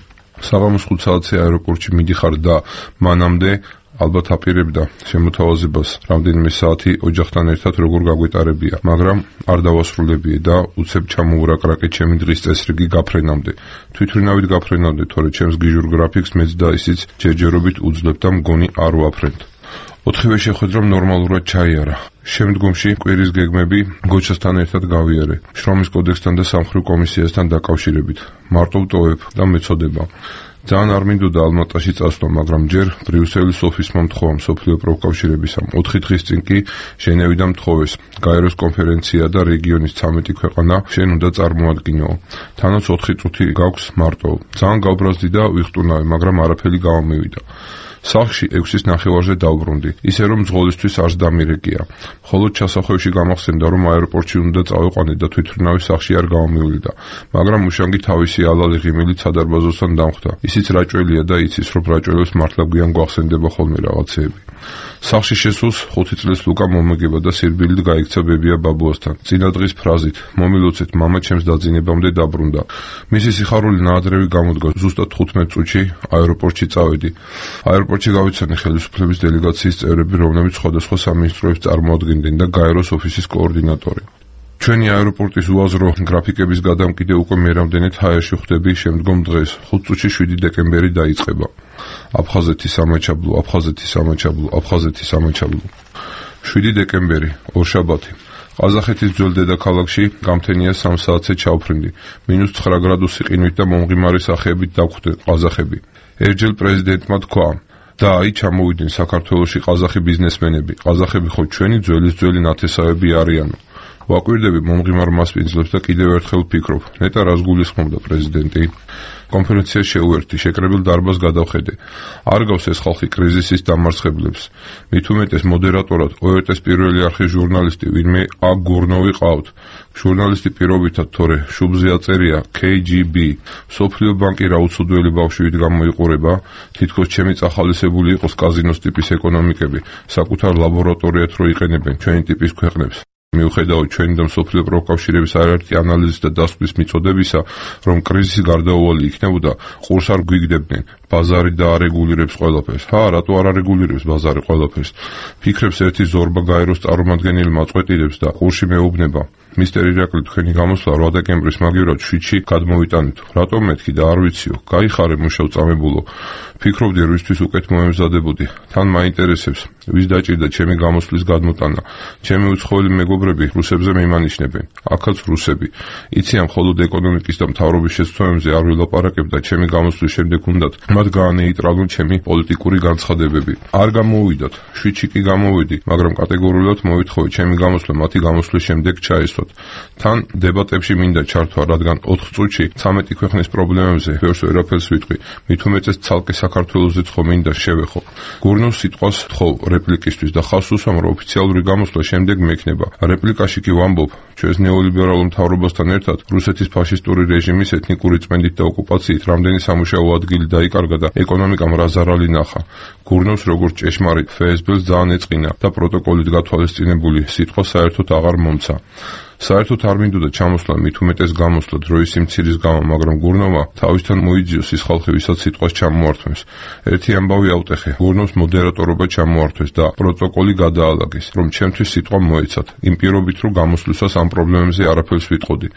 [SPEAKER 5] საღამოს 5 საათზე აეროპორტში მიდიხარ და მანამდე ალბათ აპირებდა შემოთავაზებას რამდენიმე საათი ოჯახთან ერთად როგორ გაგვეტარებია, მაგრამ არ დავასრულებია და უცებ ჩამოურაკრაკე ჩემი დღის წესრიგი გაფრენამდე. თვითმფრინავით გაფრენამდე, თორე ჩემს გიჟურ გრაფიკს მეც და ისიც ჯერჯერობით უძლებ და მგონი არ ვაფრენთ. 4-ვე შეხვედრამ ნორმალურად ჩაიარა. შემდგომში კვირის გეგმები გოჩასთან ერთად გავიარე. შრომის კოდექსთან და სამხრივ კომისიასთან დაკავშირებით. მარტო ვტოვებ და მეწოდება. ძალიან არ მინდოდა ალმატაში წასვლა, მაგრამ ჯერ ბრიუსელის ოფისმა მთხოვა მსოფლიო პროფკავშირებისა. 4 დღის წინ კი ჟენევი და მთხოვეს. გაეროს კონფერენცია და რეგიონის 13 ქვეყანა შენ უნდა წარმოადგინო. თანაც 4 წუთი გაქვს მარტო. ძალიან გავბრაზდი და ვიხტუნავე, მაგრამ არაფერი გამომივიდა. სახლში 6-ის ნახევარზე დავბრუნდი, ისე რომ მძღოლისთვის არც დამირეკია. მხოლოდ ჩასახვევში გამახსენდა, რომ აეროპორტში უნდა წავიყვანე და თვითმფრინავის სახლში არ გამომივიდა, მაგრამ უშანგი თავისი ალალი ღიმილით სადარბაზოსთან დამხვდა. ისიც რაჭველია და იცის, რომ რაჭველებს მართლა გვიან გვახსენდება ხოლმე რაღაცეები. სახლში შესულს 5 წლის ლუკა მომეგება და სირბილით გაიქცა ბებია ბაბუასთან. წინა დღის ფრაზით, მომილოცეთ, მამა ჩემს დაძინებამდე დაბრუნდა. მისი სიხარული ნაადრევი გამოდგა, ზუსტად 15 წუთში აეროპორტში წავედი. აეროპორტში გავიცანე ხელისუფლების დელეგაციის წევრები, რომლებიც სხვადასხვა სამინისტროებს წარმოადგენდნენ და გაეროს ოფისის კოორდინატორი. ჩვენი აეროპორტის უაზრო გრაფიკების გადამკიდე უკვე მერამდენეთ ჰაერში ხვდები შემდგომ დღეს, 5 წუთში 7 დეკემბერი დაიწყება. აფხაზეთის სამაჩაბლო, აფხაზეთის სამაჩაბლო, აფხაზეთის სამაჩაბლო. 7 დეკემბერი, ორშაბათი. ყაზახეთის ძველ დედაქალაქში გამთენია 3 საათზე ჩავფრინდი. -9 გრადუსი ყინვით და მომღიმარი სახეებით დაგვხვდნენ ყაზახები. ერჯელ პრეზიდენტმა თქვა და აი ჩამოვიდნენ საქართველოში ყაზახი ბიზნესმენები. ყაზახები ხო ჩვენი ძველი ნათესავები არიანო. ვაკვირდები მომღიმარ მასპინძლებს და კიდევ ერთხელ ვფიქრობ, ნეტა რას გულისხმობდა პრეზიდენტი? კონფერენციას შეუერთდი, შეკრებილ დარბაზს გადავხედე. არ გავს ეს ხალხი კრიზისის დამარცხებლებს. მით უმეტეს მოდერატორად ORT-ის პირველი არხის ჟურნალისტი, ვინმე ა გურნოვი ყავთ. ჟურნალისტი პირობითად, თორე შუბზე აწერია KGB. სოფლიო ბანკი რა უცუდველი ბავშვით გამოიყურება, თითქოს ჩემი წახალისებული იყოს კაზინოს ტიპის ეკონომიკები, საკუთარ ლაბორატორიად რო იყენებენ ჩვენი ტიპის ქვეყნებს. მიუხედავად ჩვენი და მსოფლიო პროფკავშირების არაერთი ანალიზის და დასკვნის მიწოდებისა, რომ კრიზისი გარდაუვალი იქნებოდა, ყურს არ გვიგდებდნენ. ბაზარი და არეგულირებს ყველაფერს. რატო არ არეგულირებს ბაზარი ყველაფერს? ფიქრებს ერთი ზორბა გაეროს წარმომადგენელი მაწყვეტილებს და ყურში მეუბნება. მისტერ ირაკლი, თქვენი გამოსვლა 8 დეკემბრის მაგივრად 7-ში გადმოვიტანით. რატომ მეთქი და არ ვიციო? გაიხარე მუშაობ წამებულო. ფიქრობდი რისთვის უკეთ მოემზადებოდი. თან მაინტერესებს, ვის დაჭირდა ჩემი გამოსვლის გადმოტანა. ჩემი უცხოელი მეგობრები რუსებზე მიმანიშნებენ. აქაც რუსები. იციან, მხოლოდ ეკონომიკის და მთავრობის შეცდომებზე არ ვილაპარაკებ და ჩემი გამოსვლის შემდეგ უნდათ მათ გაანეიტრალონ ჩემი პოლიტიკური განცხადებები. არ გამოვიდათ, 7-ში კი გამოვიდი, მაგრამ კატეგორიულად მოვითხოვე ჩემი გამოსვლა მათი გამოსვლის შემდეგ ჩაესვათ. თან დებატებში მინდა ჩართვა, რადგან 4 წუთში 13 ქვეყნის პრობლემებზე ბევრს ვერაფერს ვიტყვი. მით უმეტეს ცალკე საქართველოსაც ხომ მინდა შევეხო. გურნოს სიტყვას თხოვ რეპლიკისთვის და ხავს უსვამ, რომ ოფიციალური გამოსვლა შემდეგ მექნება. რეპლიკაში კი ვამბობ, ჩვენს ნეოლიბერალურ მთავრობასთან ერთად რუსეთის ფაშისტური რეჟიმის ეთნიკური წმენდით და ოკუპაციით რამდენი სამუშაო ადგილი დაიკარგა და ეკონომიკამ რა ზარალი ნახა. გურნოს როგორც ჭეშმარიტ ფსბ-ს ძალიან ეწყინა და პროტოკოლით გათვალისწინებული სიტყვა საერთოდ აღარ მომცა. საერთოდ არ მინდოდა ჩამოსვლა, მით უმეტეს გამოსვლა დროის სიმცირის გამო, მაგრამ გურნოვმა თავისთან მოიძიოს ის ხალხი, ვისაც სიტყვას ჩამოართვეს. ერთი ამბავი ავტეხე, გურნოს მოდერატორობა ჩამოართვეს და პროტოკოლი გადაალაგეს, რომ ჩემთვის სიტყვა მოეცათ, იმ პირობით, რომ გამოსვლისას ამ პრობლემებზე არაფერს ვიტყოდი.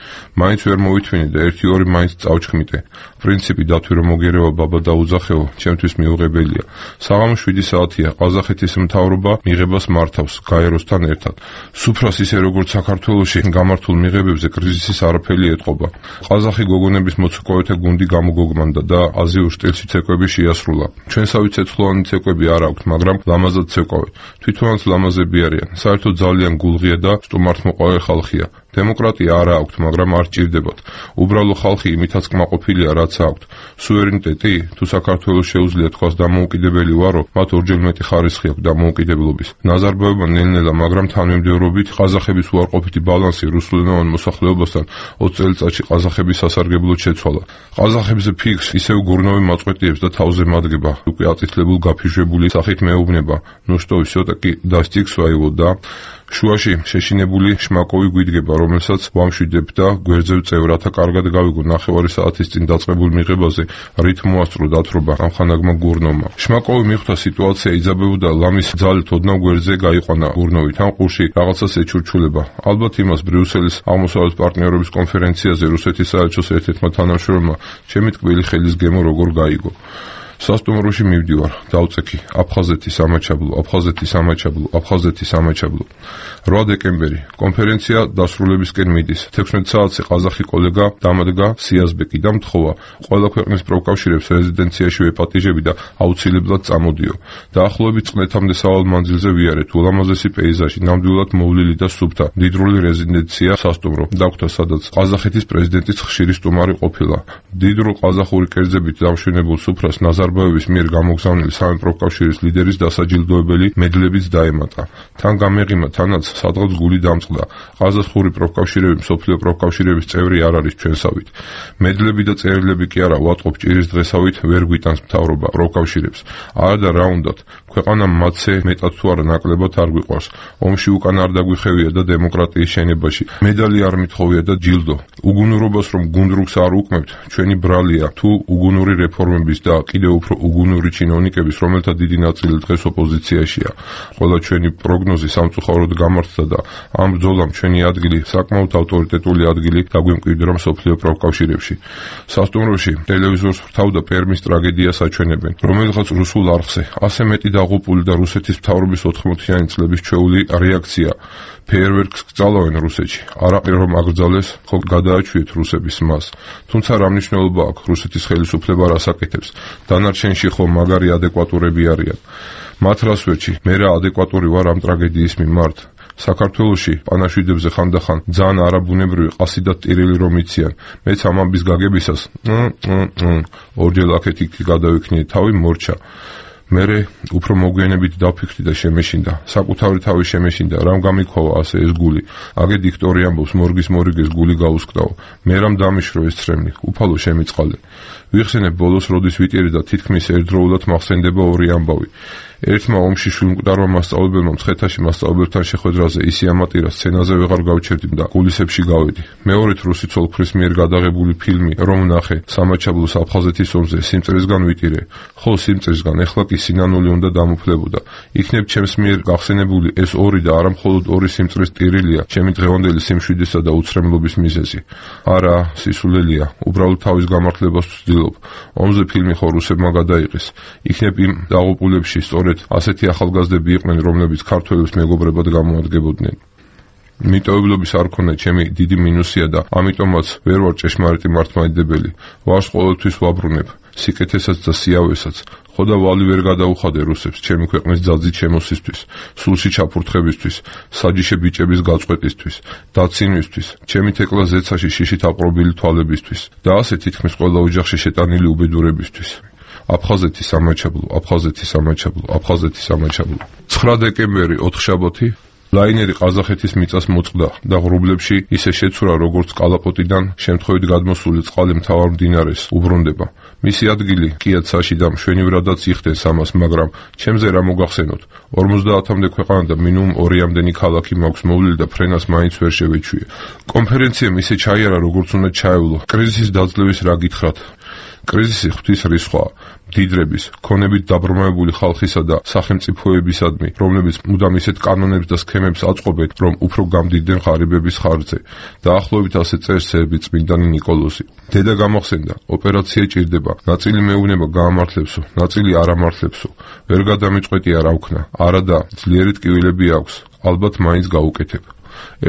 [SPEAKER 5] მაინც ვერ მოვითვინე და 1-2 მაინც წავჩქმიტე. პრინციპი დათვი რომ მოგერევა ბაბა დაუძახეო, ჩემთვის მიუღებელია. საღამო 7 საათია, ყაზახეთის მთავრობა მიღებას მართავს გაეროსთან ერთად. სუფრას ისე როგორც საქართველოში გამართულ მიღებებზე კრიზისის არაფერი ეტყობა. ყაზახი გოგონების მოცურავეთა გუნდი გამოგოგმანდა და აზიურ სტილში ცეკვები შეასრულა. ჩვენსავე ცეცხლოვანი ცეკვები არ აქვთ, მაგრამ ლამაზად ცეკვავენ. თვითონაც ლამაზები არიან. საერთოდ ძალიან გულღია და სტუმართმოყვარე ხალხია. დემოკრატია არ აქვთ, მაგრამ არ ჭირდებათ. უბრალო ხალხი იმითაც კმაყოფილია, რაც აქვთ. სუვერენიტეტი, თუ საქართველოს შეუძლია თქვას დამოუკიდებელი ვარო, მათ ორჯერ მეტი ხარისხი აქვს დამოუკიდებლობის. ნაზარბაევმა ნელ-ნელა, მაგრამ თანმიმდევრობით ყაზახების უარყოფითი ბალანსი რუსულენოვან მოსახლეობასთან 20 წელიწადში ყაზახების სასარგებლოდ შეცვალა. ყაზახებზე ფიქს ისევ გურნოვი მაწყვეტიებს და თავზე მადგება. უკვე აწითლებულ გაფიჟებული სახით მეუბნება. ნუ შტო, всё-таки достиг своего და შუაში შეშინებული შმაკოვი გვიდგება, რომელსაც ვამშვიდებ და გვერდზე ვწევ, რათა კარგად გავიგო 9 საათის წინ დაწყებულ მიღებაზე რით მოასწრო დათრობა ამხანაგმა გურნოვმა. შმაკოვი მიხვდა სიტუაცია იძაბებოდა, ლამის ძალით ოდნავ გვერდზე გაიყვანა გურნოვი, თან ყურში რაღაცას ეჩურჩულება. ალბათ იმას ბრიუსელის აღმოსავლეთ პარტნიორობის კონფერენციაზე რუსეთის საელჩოს ერთ-ერთმა თანამშრომელმა ჩემი ტკბილი ხელის გემო როგორ გაიგო. სასტუმროში მივდივარ, დავწექი, აფხაზეთის ამაჩაბლო. 8 დეკემბერი, კონფერენცია დასრულებისკენ მიდის. 16 საათზე ყაზახი კოლეგა დამადგა სიაზბეკი და მთხოვა, ყველა ქვეყნის პროფკავშირებს რეზიდენციაში ვეპატიჟები და აუცილებლად წამოდიო. დაახლოებით წლეთამდე სავალ მანძილზე ვიარეთ, ულამაზესი პეიზაჟი, ნამდვილად მოვლილი და სუფთა, მდიდრული რეზიდენცია სასტუმრო, დაგვთა სადაც ყაზახეთის პრეზიდენტის ხშირი სტუმარი ყოფილა. მდიდრულ ყაზახური კერძებით დამშვენებულ სუფრას ნაზარბაევის მიერ გამოგზავნილი სამეფო კავშირის ლიდერის დასაჯილდოებელი მედლებიც დაემატა. თან გამეღიმა, თანაც სადღაც გული დამწყდა. ყაზახური პროფკავშირები მსოფლიო პროფკავშირების წევრი არ არის ჩვენსავით. მედლები და წერილები კი არა, ვატყობ ჭირის დღესავით ვერ გვიტანს მთავრობა პროფკავშირებს. არა და რა უნდათ, ქვეყანა მათზე მეტად თუ არა ნაკლებად არ გვიყვარს. ომში უკან არ დაგვიხევია და დემოკრატიის შენებაში. მედალი არ მithოვია და ჯილდო. უგუნურობას რომ გუნდრუგს არ უკმევთ, ჩვენი ბრალია თუ უგუნური რეფორმების და კიდევ უფრო უგუნური ჩინოვნიკების, რომელთა დიდი ნაწილი დღეს ოპოზიციაშია. ყველა ჩვენი პროგნოზი სამწუხაროდ გამართდა და ამ ბრძოლამ ჩვენი ადგილი, საკმაოდ ავტორიტეტული ადგილი დაგვიმკვიდრა მსოფლიო პროფკავშირებში. სასტუმროში ტელევიზორს ვრთავდა პერმის ტრაგედიას აჩვენებენ, რომელიღაც რუსულ არხზე ასე მეტი დაღუპული და რუსეთის მთავრობის 80-იანი წლების ჩვეული რეაქცია. ფეიერვერკს გწალავენ რუსეთში. არაყი რომ აკრძალეს, ხო გადააჩვიეთ რუსების მას. თუმცა რა მნიშვნელობა აქვს რუსეთის ხელისუფლება რას აკეთებს? დანარჩენში ხო მაგარი ადეკვატურები არიან. მათ რას ვერჩი, მე რა ადეკვატური ვარ ამ ტრაგედიის მიმართ. საქართველოში პანაშვიდებზე ხანდახან ძალიან არაბუნებრივი ყასი და ტირილი რომ იციან. მეც ამ ამბის გაგებისას ორჯერ აქეთ-იქ გადავიქნიე თავი მორჩა. მერე უფრო მოგვიანებით დავფიქრდი და შემეშინდა. საკუთარი თავი შემეშინდა, რამ გამიქოვა ასე ეს გული. აგე დიქტორი ამბობს, მორგის მორიგეს გული გაუსკდაო. მე რამ დამიშრო ეს ცრემლი, უფალო შემიწყალე. ვიხსენებ ბოლოს, როდის ვიტირი და თითქმის ერთდროულად მახსენდება ორი ამბავი. ერთმა ომში შვილმკვდარმა მასწავლებელმა მცხეთაში მასწავლებელთან შეხვედრაზე ისი ამატირა სცენაზე ვეღარ გავჩერდი და გულისებში გავედი. მეორედ რუსი ცოლ-ქმრის მიერ გადაღებული ფილმი რომ ნახე სამაჩაბლოს აფხაზეთის ომზე სიმწრისგან ვიტირე, ხოლო სიმწრისგან ეხლა კი სინანული უნდა დამუფლებოდა. იქნებ ჩემს მიერ გახსენებული ეს ორი და არა მხოლოდ ორი სიმწრის ტირილია ჩემი დღევანდელი სიმშვიდისა და უცრემლობის მიზეზი. არა, სისულელია, უბრალოდ თავის გამართლებას ვცდილობ. ომზე ფილმი ხო რუსებმა გადაიღეს. იქნებ იმ დაღუპულებში სწორედ ასეთი ახალგაზრდები იყვნენ, რომლებიც ქართველებს მეგობრებად გამოადგებოდნენ. მიტოვებლობის არ ქონდა ჩემი დიდი მინუსია და ამიტომაც ვერ ვარ ჭეშმარიტი მართლმადიდებელი. ვარს ყოველთვის ვაბრუნებ, სიკეთესაც და სიავესაც. ხოდა ვალი ვერ გადაუხადე რუსებს ჩემი ქვეყნის ძალზით შემოსისთვის, სულში ჩაფურთხებისთვის, საჯიში ბიჭების გაწყვეტისთვის, დაცინვისთვის, ჩემი თეკლა ზეცაში შიშით აპრობილი თვალებისთვის და ასე თითქმის ყველა ოჯახში შეტანილი უბედურებისთვის. აფხაზეთის სამაჩაბლო, აფხაზეთის სამაჩაბლო, აფხაზეთის სამაჩაბლო. 9 დეკემბერი, ოთხშაბათი, ლაინერი ყაზახეთის მიწას მოწყდა და ღრუბლებში ისე შეცურა, როგორც კალაპოტიდან შემთხვევით გადმოსული წყალი მთავარ მდინარეს უბრუნდება. მისი ადგილი კიაცაში და მშვენივრადაც იხდენს ამას, მაგრამ ჩემზე რა მოგახსენოთ? 50-მდე ქვეყანა და მინიმუმ 2-მდენი ქალაქი მაქვს მოვლილი და ფრენას მაინც ვერ შევეჩვიე. კონფერენციამ ისე ჩაიარა, როგორც უნდა ჩაევლო. კრიზისის დაძლევის რა გითხრათ? კრიზისი ღვთის რისხვაა, მდიდრების, ქონებით დაბრმავებული ხალხისა და სახელმწიფოებისადმი, რომლებიც მუდამ ისეთ კანონებს და სქემებს აწყობენ, რომ უფრო გამდიდნენ ღარიბების ხარჯზე. დაახლოებით ასე წერს სერბი წმინდანი ნიკოლოზი. დედა გამოხსენდა, ოპერაცია ჭირდება, ნაწილი მეუბნება გაამართლებსო, ნაწილი არ ამართლებსო. ვერ გადამიწყვეტია რა ვქნა, არა და ძლიერი ტკივილები აქვს, ალბათ მაინც გავუკეთებ.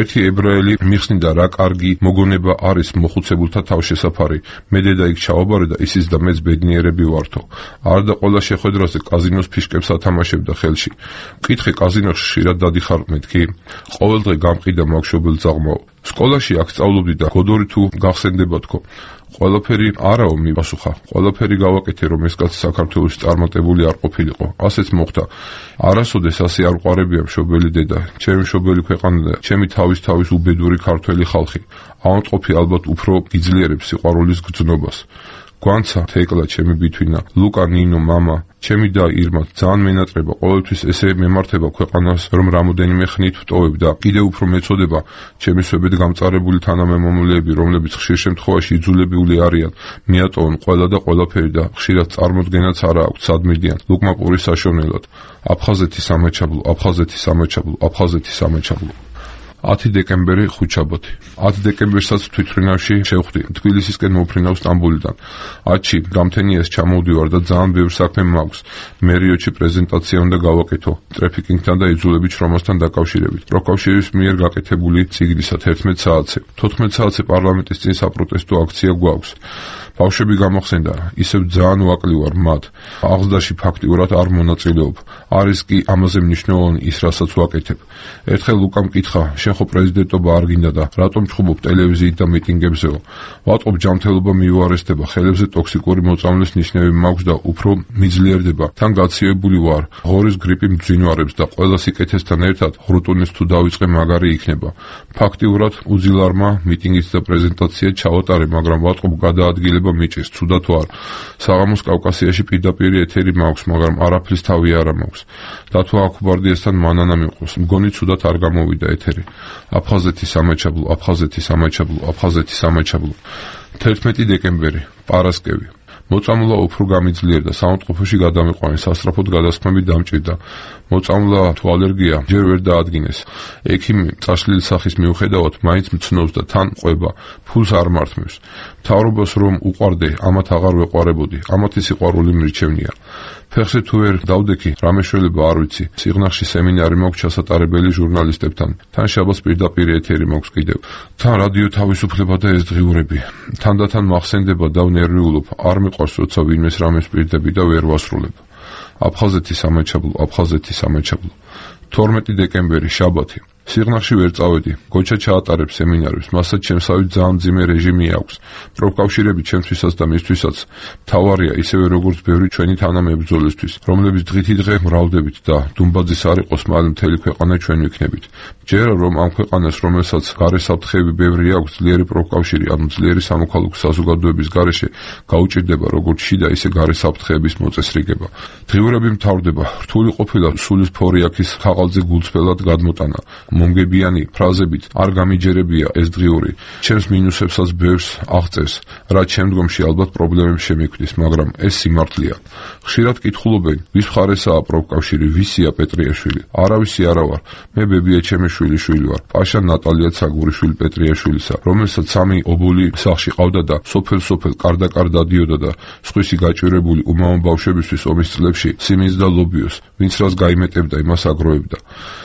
[SPEAKER 5] ერთი ებრაელი მიხსნიდა, რა კარგი მოგონება არის მოხუცებულთა თავშესაფარი. მე დედა იქ ჩავაბარე და ისიც და მეც ბედნიერები ვართო. არ და ყველა შეხვედრაზე კაზინოს ფიშკებს ათამაშებდა ხელში. მკითხე, კაზინოში ხშირად დადიხარ მეთქი? ყოველდღე გამყიდა მაგშობელ ძაღლმაო. სკოლაში აქ სწავლობდი და გოდორი თუ გახსენდება თქო. ყველაფერი არაო, მიპასუხა. ყველაფერი გავაკეთე, რომ ეს კაცი საქართველოში წარმატებული არ ყოფილიყო. ასეც მოხდა. არასოდეს ასე არ ვყარებია მშობელი დედა, ჩემი მშობელი ქვეყანა და ჩემი თავის უბედური ქართველი ხალხი. ავადმყოფი ალბათ უფრო იძლიერებს სიყვარულის გრძნობას. გვანცა თეკლა ჩემი ბითვინა, ლუკა, ნინო, მამა, ჩემი და ირმა ძალიან მენატრება, ყოველთვის ესე მემართება ქვეყანას, რომ რამოდენიმე ხნით ვტოვებ და კიდევ უფრო მეწოდება ჩემი შვებად გამწარებული თანამემამულეები, რომლებიც ხშირ შემთხვევაში იძულებული არიან მიატოვონ ყველა და ყველაფერი და ხშირად წარმოდგენაც არა აქვთ სადმიდიან ლუკმა პურის საშოვნელად. აფხაზეთის სამაჩაბლო, აფხაზეთის სამაჩაბლო, აფხაზეთის სამაჩაბლო. 10 დეკემბერი, ხუთშაბათი. 10 დეკემბერსაც თვითმფრინავში შევხვდი. თბილისისკენ მოვფრინავ სტამბოლიდან. 10-ში გამთენიას ჩამოვდივარ და ძალიან ბევრი საქმე მაქვს. მერიოჩი პრეზენტაცია უნდა გავაკეთო ტრაფიკინგთან და იძულებით შრომასთან დაკავშირებით. პროკავშირის მიერ გაკეთებული წიგნისა 11 საათზე. 14 საათზე პარლამენტის წინ საპროტესტო აქცია გვაქვს. ბავშვები გამოხსენდა, ისევ ძალიან ვაკლი ვარ მათ. აღზრდაში ფაქტიურად არ მონაწილეობ. არის კი ამაზე მნიშვნელოვანი ის, რასაც ვაკეთებ. ერთხელ ლუკამ მკითხა, შენ ხო პრეზიდენტობა არ გინდა და რატომ ჩხუბობ ტელევიზიით და მიტინგებზეო? ვატყობ ჯანმრთელობა მიუარესდება, ხელებზე ტოქსიკური მოწამვლის ნიშნები მაქვს და უფრო მიძლიერდება. თან გაცივებული ვარ, ღორის გრიპი მძვინვარებს და ყველა სიკეთესთან ერთად ღრუტუნის თუ დავიწყე მაგარი იქნება. ფაქტიურად უძილარმა მიტინგიც და პრეზენტაცია ჩავატარე, მაგრამ ვატყობ გადაადგილება მიჭირს, ცუდა თუ არ. საღამოს კავკასიაში პირდაპირ ეთერი მაქვს, მაგრამ არაფრის თავი არა მაქვს. დათო აქუბარდიასთან მანანა მიყვოს, მგონი ცუდად არ გამოვიდა ეთერი. აფხაზეთის სამაჩაბლო, აფხაზეთის სამაჩაბლო, აფხაზეთის სამაჩაბლო. 11 დეკემბერი, პარასკევი. მოწამვლა უფრო გამიძლიერდა, საავადმყოფოში გადამიყვანეს, სასწრაფოდ გადასხმები დამჭირდა. მოწამვლა თუ ალერგია ჯერ ვერ დაადგინეს. ექიმი წაშლილი სახის მიუხედავად მაინც მცნობს და თან ყვება, ფულს არ მართმევს. მთავრობას რომ უყვარდე, ამათ აღარ ვეყვარებოდი, ამათი სიყვარული მრჩევნია. ფეხზე თუ ვერ დავდექი, რამე შეიძლება არ ვიცი. სიღნაღში სემინარი მაქვს ჩასატარებელი ჟურნალისტებთან. თან შაბათს პირდაპირ ეთერი მაქვს კიდევ. თან რადიო თავისუფლება და ეს დღიურები. თანდათან მახსენდება და ვნერვიულობ. არ მიყვარს, როცა ვინმეს რამეს პირდები და ვერ ვასრულებ. აფხაზეთის სამაჩაბლო, აფხაზეთის სამაჩაბლო. 12 დეკემბერი, შაბათი. სიღნაღში ვერ წავედი. გოჩა ჩაატარებს სემინარებს, მასაც ჩემსავით ძალიან მძიმე რეჟიმი აქვს. პროფკავშირები ჩემთვისაც და მისთვისაც მთავარია, ისევე როგორც ბევრი ჩვენი თანამებრძოლისთვის, რომლებიც დღითიდღე მრავლდებით და დუმბაძის არ იყოს, მალე მთელი ქვეყანა ჩვენ ვიქნებით. ჯერა რომ ამ ქვეყანას, რომელსაც გარე საფრთხეები ბევრი აქვს, ძლიერი პროფკავშირი, ანუ ძლიერი სამოქალაქო საზოგადოების გარეშე გაუჭირდება როგორც შიდა, ისე გარე საფრთხეების მოწესრიგება. დღიურები მთავრდება, რთული ყოფილა სულის ფორიაქის ხაყალზე გულწრფელად გადმოტანა. მომგებიანი ფრაზებით არ გამიჯერებია ეს დღიური. ჩემს მინუსებსაც ბევრს აღწევს, რაც შემდგომში ალბათ პრობლემებს შემექმნის, მაგრამ ეს სიმართლეა. ხშირად კითხულობენ, ვის მხარესაა პროფკავშირი, ვისია პეტრიაშვილი. არავისი არა ვარ. მე ბებია ჩემიშვილიშვილი ვარ. პაშა ნატალია ცაგურიშვილი პეტრიაშვილისა, რომელსაც 3 ობოლი სახლში ყავდა და სოფელ კარდაკარ დადიოდა და სხვისი გაჭირებული უმამო ბავშვებისთვის ომის წლებში სიმინს და ლობიოს, ვინც რას გაიმეტებდა, იმას აგროვებდა.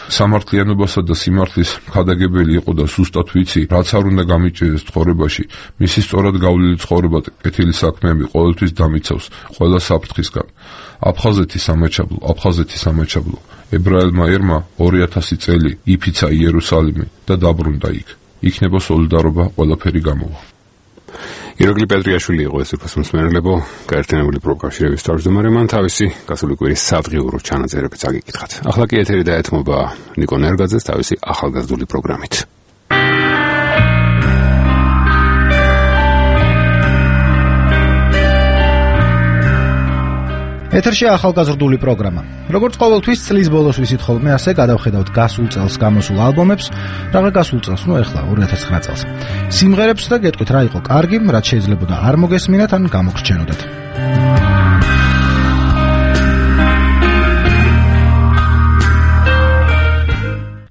[SPEAKER 5] სამართლიანობასა და სიმართლის ხადაგებელი იყო და ზუსტად ვიცი, რაც არ უნდა გამიჭირდეს ცხოვრებაში, მისი სწორად გავლილი ცხოვრება და კეთილი საქმეები ყოველთვის დამიცავს ყველა საფრთხისგან. აფხაზეთი სამაჩაბლო. ებრაელმა ერმა 2000 წელი იფიცა იერუსალიმი და დაბრუნდა იქ. იქნება სოლიდარობა, ყველაფერი გამოვა.
[SPEAKER 1] ირაკლი პეტრიაშვილი იყო ეს უფროსმსმენელებო გაერთიანებული პროფკავშირების თავმჯდომარე, მან თავისი გასული კვირის სადღიურო ჩანაწერებიც აგიკითხათ. ახლა კი ეთერი დაეთმობა ნიკო ნერგაძეს თავისი ახალგაზრდული პროგრამით.
[SPEAKER 7] ეთერში ახალგაზრდული პროგრამა. როგორც ყოველთვის წლის ბოლოს ვისით ხოლმე, ასე გადავხედავთ გასულ წელს გამოსულ ალბომებს, რაღა გასულ წელს, ეხლა 2009 წელს. სიმღერებს და გეტყვით რა იყო კარგი, რაც შეიძლებოდა არ მოგესმინათ ან გამოგრჩენოდეთ.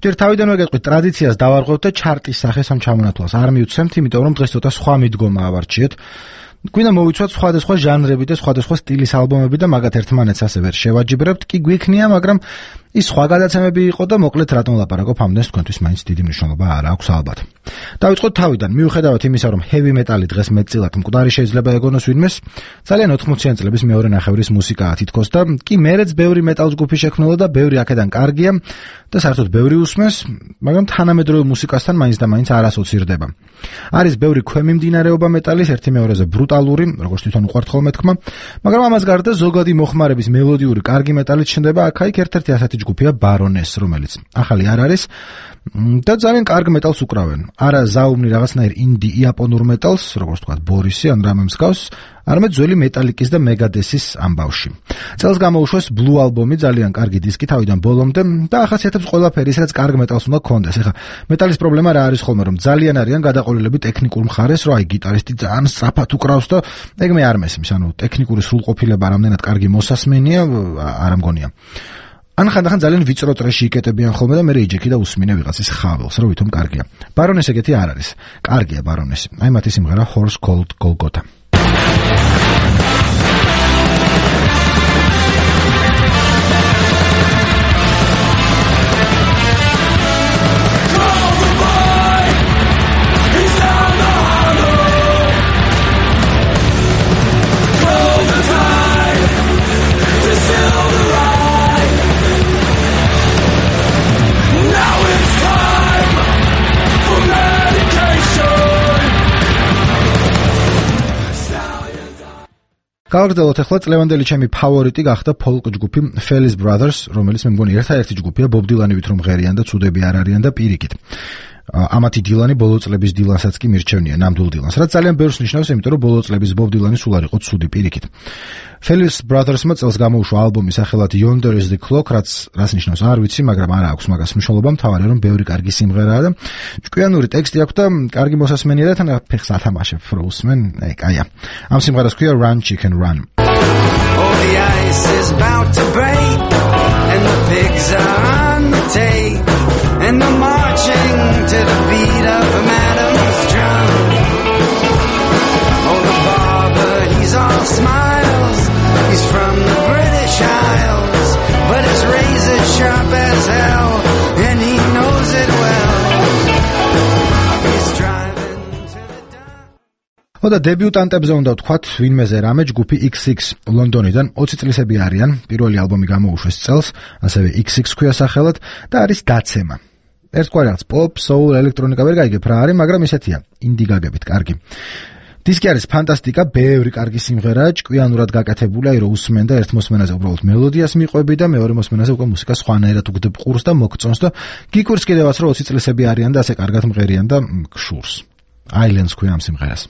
[SPEAKER 7] ჯერ თავიდანვე გეტყვით ტრადიციას დავარღვევთ და ჩარტის სახეს ამ ჩამონათვალს არ მივცემთ, იმიტომ რომ დღეს ცოტა სხვა მიდგომა ავარჩიეთ. გვინდა მოვიცვათ სხვადასხვა ჟანრები და სხვადასხვა სტილის ალბომები და მაგათ ერთმანეთს ასე ვერ შევაჯიბრებთ, კი გვიქნია, მაგრამ ის სხვა გადაცემები იყო და მოკლედ რატომ ლაპარაკობ ამდენს, თქვენთვის მაინც დიდი მნიშვნელობა არ აქვს ალბათ. დავიწყოთ თავიდან, მიუხედავად იმისა, რომ heavy metal-ი დღეს მეტწილად მკვდარი შეიძლება ეგონოს ვინმეს, ძალიან 80-იანი წლების მეორე ნახევრის მუსიკაა თითქოს და კი მერეც ბევრი metal ჯგუფი შექმნილა და ბევრი აქედან კარგია და საერთოდ ბევრი უსმენს, მაგრამ თანამედროვე მუსიკასთან მაინც და მაინც არ ასოცირდება. არის ბევრი ქვემიმდინარეობა მეტალის, ერთი მეორეზე ბრუტალური, როგორც თვითონ უყვართ ხოლმე თქმა, მაგრამ ამას გარდა ზოგადი მოხმარების მელოდიური კარგი მეტალიც ჩნდება აქ-იქ. ერთ-ერთი ასეთი ჯგუფია ბარონეს, რომელიც ახალი არ არის და ძალიან კარგ მეტალს უკრავენ. არა ზაუმნი რაღაცნაირ ინდი იაპონურ მეტალს, როგორც თქვა ბორისი ან რამე მსგავს, არამედ ძველი მეტალიკის და მეგადესის ამბავში. წელს გამოუშვეს Blue ალბომი, ძალიან კარგი დისკი თავიდან ბოლომდე და ახასიათებს ყველაფერი, რაც კარგ მეტალს უნდა გქონდეს. ეხლა მეტალის პრობლემა რა არის ხოლმე, რომ ძალიან არიან გადაყოლილები ტექნიკურ მხარეს, რომ აი გიტარისტი ძალიან სწრაფად უკრავს და ეგ მე არ მესმის, ანუ ტექნიკური სრულყოფილება რამდენად კარგი მოსასმენია, არ ამგონია. ან ხანდახან ძალიან ვიწრო ტრეში იკეტებიან ხოლმე და მე რეიჯექი და უსმინე ვიღაცის ხაველს, რომ ვითომ კარგია. ბარონეს ეგეთი არ არის. კარგია ბარონესი. აი მათი სიმღერა Horse Called Golgotha. გავაგრძელოთ ახლა წლევანდელი ჩემი ფავორიტი გახდა ფოლკ ჯგუფი Fellis Brothers, რომელიც მე მგონი ერთადერთი ჯგუფია ბობ დილანივით რომ ღერიან და ცუდები არ არიან და პირიქით. ამათი დილანი ბოლო წლების დილანსაც კი მირჩევნია ნამდვილ დილანს, რაც ძალიან ბევრს ნიშნავს, იმიტომ რომ ბოლო წლების ბობ დილანი სულ არ იყო ცუდი პირიქით. Fellis Brothers-მა წელს გამოუშვა ალბომი სახელად Yonder is the Clock, რაც ნიშნავს არ ვიცი, მაგრამ არ აქვს მაგას მნიშვნელობა, მთავარია რომ ბევრი კარგი სიმღერაა და ჭკვიანური ტექსტი აქვს და კარგი მოსასმენია და თან ფეხს ათამაშებ რო უსმენ, აი კაია. ამ სიმღერას ქვია Run Chicken Run.
[SPEAKER 22] Oh, the ice is about to break and the pigs are on the take and they're marching to the beat of Madam's drum. Oh, the barber, he's all smiles. He's from the British Isles, but his razor's sharp as hell, and he knows it well. He's driving to the dark.
[SPEAKER 7] და დებიუტანტებზე უნდა ვთქვათ, ვინმეზე რამე ჯგუფი XX ლონდონიდან 20 წლისები არიან, პირველი ალბომი გამოუშვეს წელს, ასევე XX ქვია სახელად და არის დაცემა. ერთგვარი რაღაც pop, soul, ელექტრონიკა ვერ გაიგებ რა არის, მაგრამ ისეთია, ინდი გაგებით, კარგი. დისკი არის ფანტასტიკა, ბევრი კარგი სიმღერა, ჭკვიანურად გაკეთებული, რომ უსმენ და ერთ მოსმენაზე უბრალოდ მელოდიას მიყვები და მეორე მოსმენაზე უკვე მუსიკას სხვანაირად უგდებ ყურს და მოგწონს და გიკვირს კიდევაც რომ 20 წლისები არიან და ასე კარგად მღერიან და გშურს. Islands ქვია ამ სიმღერას.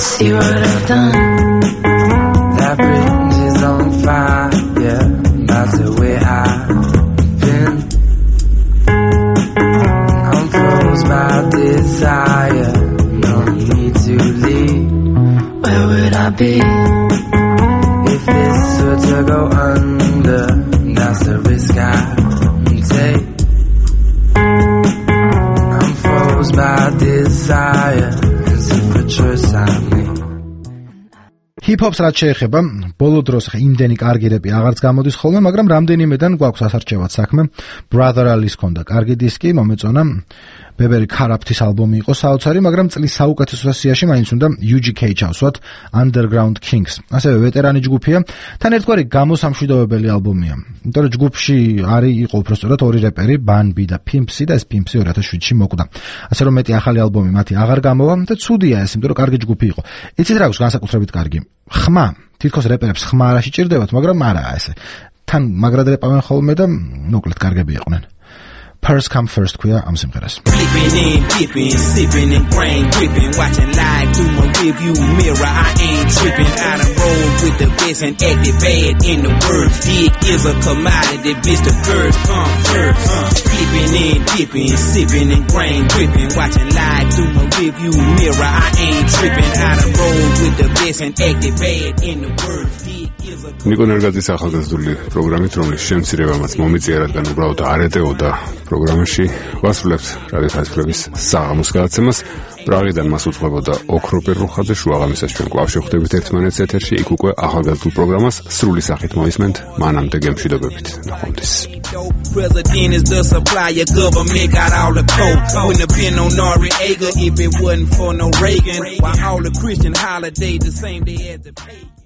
[SPEAKER 8] See what I've done. That bridge is on fire. Yeah, that's the way I've been. I'm froze by desire. No need to leave. Where would I be if this were to go under? That's the risk I take. I'm froze by desire. It's a choice I make.
[SPEAKER 7] Hip-hop's რაც შეეხება, ბოლო დროს იმდენი კარგი რეპი აღარც გამოდის ხოლმე, მაგრამ რამდენიმედან გვაქვს ასარჩევად საქმე. Brother Ali-ს ქონდა კარგი დისკი, მომეწონა. ბებერი ქარაფთის ალბომი იყო საოცარი, მაგრამ წლის საუკეთესო სიაში მაინც უნდა UGK ჩავსვათ Underground Kings. ასევე ვეტერანი ჯგუფია, თან ერთგვარი გამოსამშვიდობებელი ალბომია. იმიტომ რომ ჯგუფში იყო უბრალოდ ორი რეპერი, Bun B და Pimpsy და ეს Pimpsy 2007-ში მოკვდა. ასე რომ მეტი ახალი ალბომი მათი აღარ გამოვა და ცუდია ეს, იმიტომ რომ კარგი ჯგუფი იყო. იცით რა აქვს განსაკუთრებით კარგი? ხმა, თითქოს რეპერებს ხმა არ შეჭირდებათ, მაგრამ არაა ესე. თან მაგრად რეპავენ ხოლმე და მოკლედ კარგები იყვნენ. Purse come first ქვია ამ სიმღერას.
[SPEAKER 8] Flipping and dipping, sipping and brain gripping, watching live through my review mirror. I ain't tripping. I done roll with the best and acted bad in the words. Dick is a commodity, bitch. The first come first. Flipping and dipping, sipping and brain gripping, watching live through my review mirror. I ain't tripping. I done roll with the best and acted bad in the words.
[SPEAKER 1] ნიკო ნერგაძის ახალგაზრდული პროგრამით, რომლის შემცირებამაც მომიწია, რადგან უბრალოდ არ ეტეოდა პროგრამაში, ვასრულებთ რადიო ხასფლების საღამოს გადაცემას. პრაღიდან მას უძღვებოდა ოქრო პერუხაძე, შუაღამისას ჩვენ კვლავ შევხვდებით ერთმანეთს ეთერში, იქ უკვე ახალგაზრდულ პროგრამას სრული სახით მოისმენთ, მანამდე გემშვიდობებით. ნახვამდის.
[SPEAKER 8] President is the supplier, government got all the coke. Wouldn't have been no Noriega if it wasn't for no Reagan. While all the Christian holidays the same day as the pagan.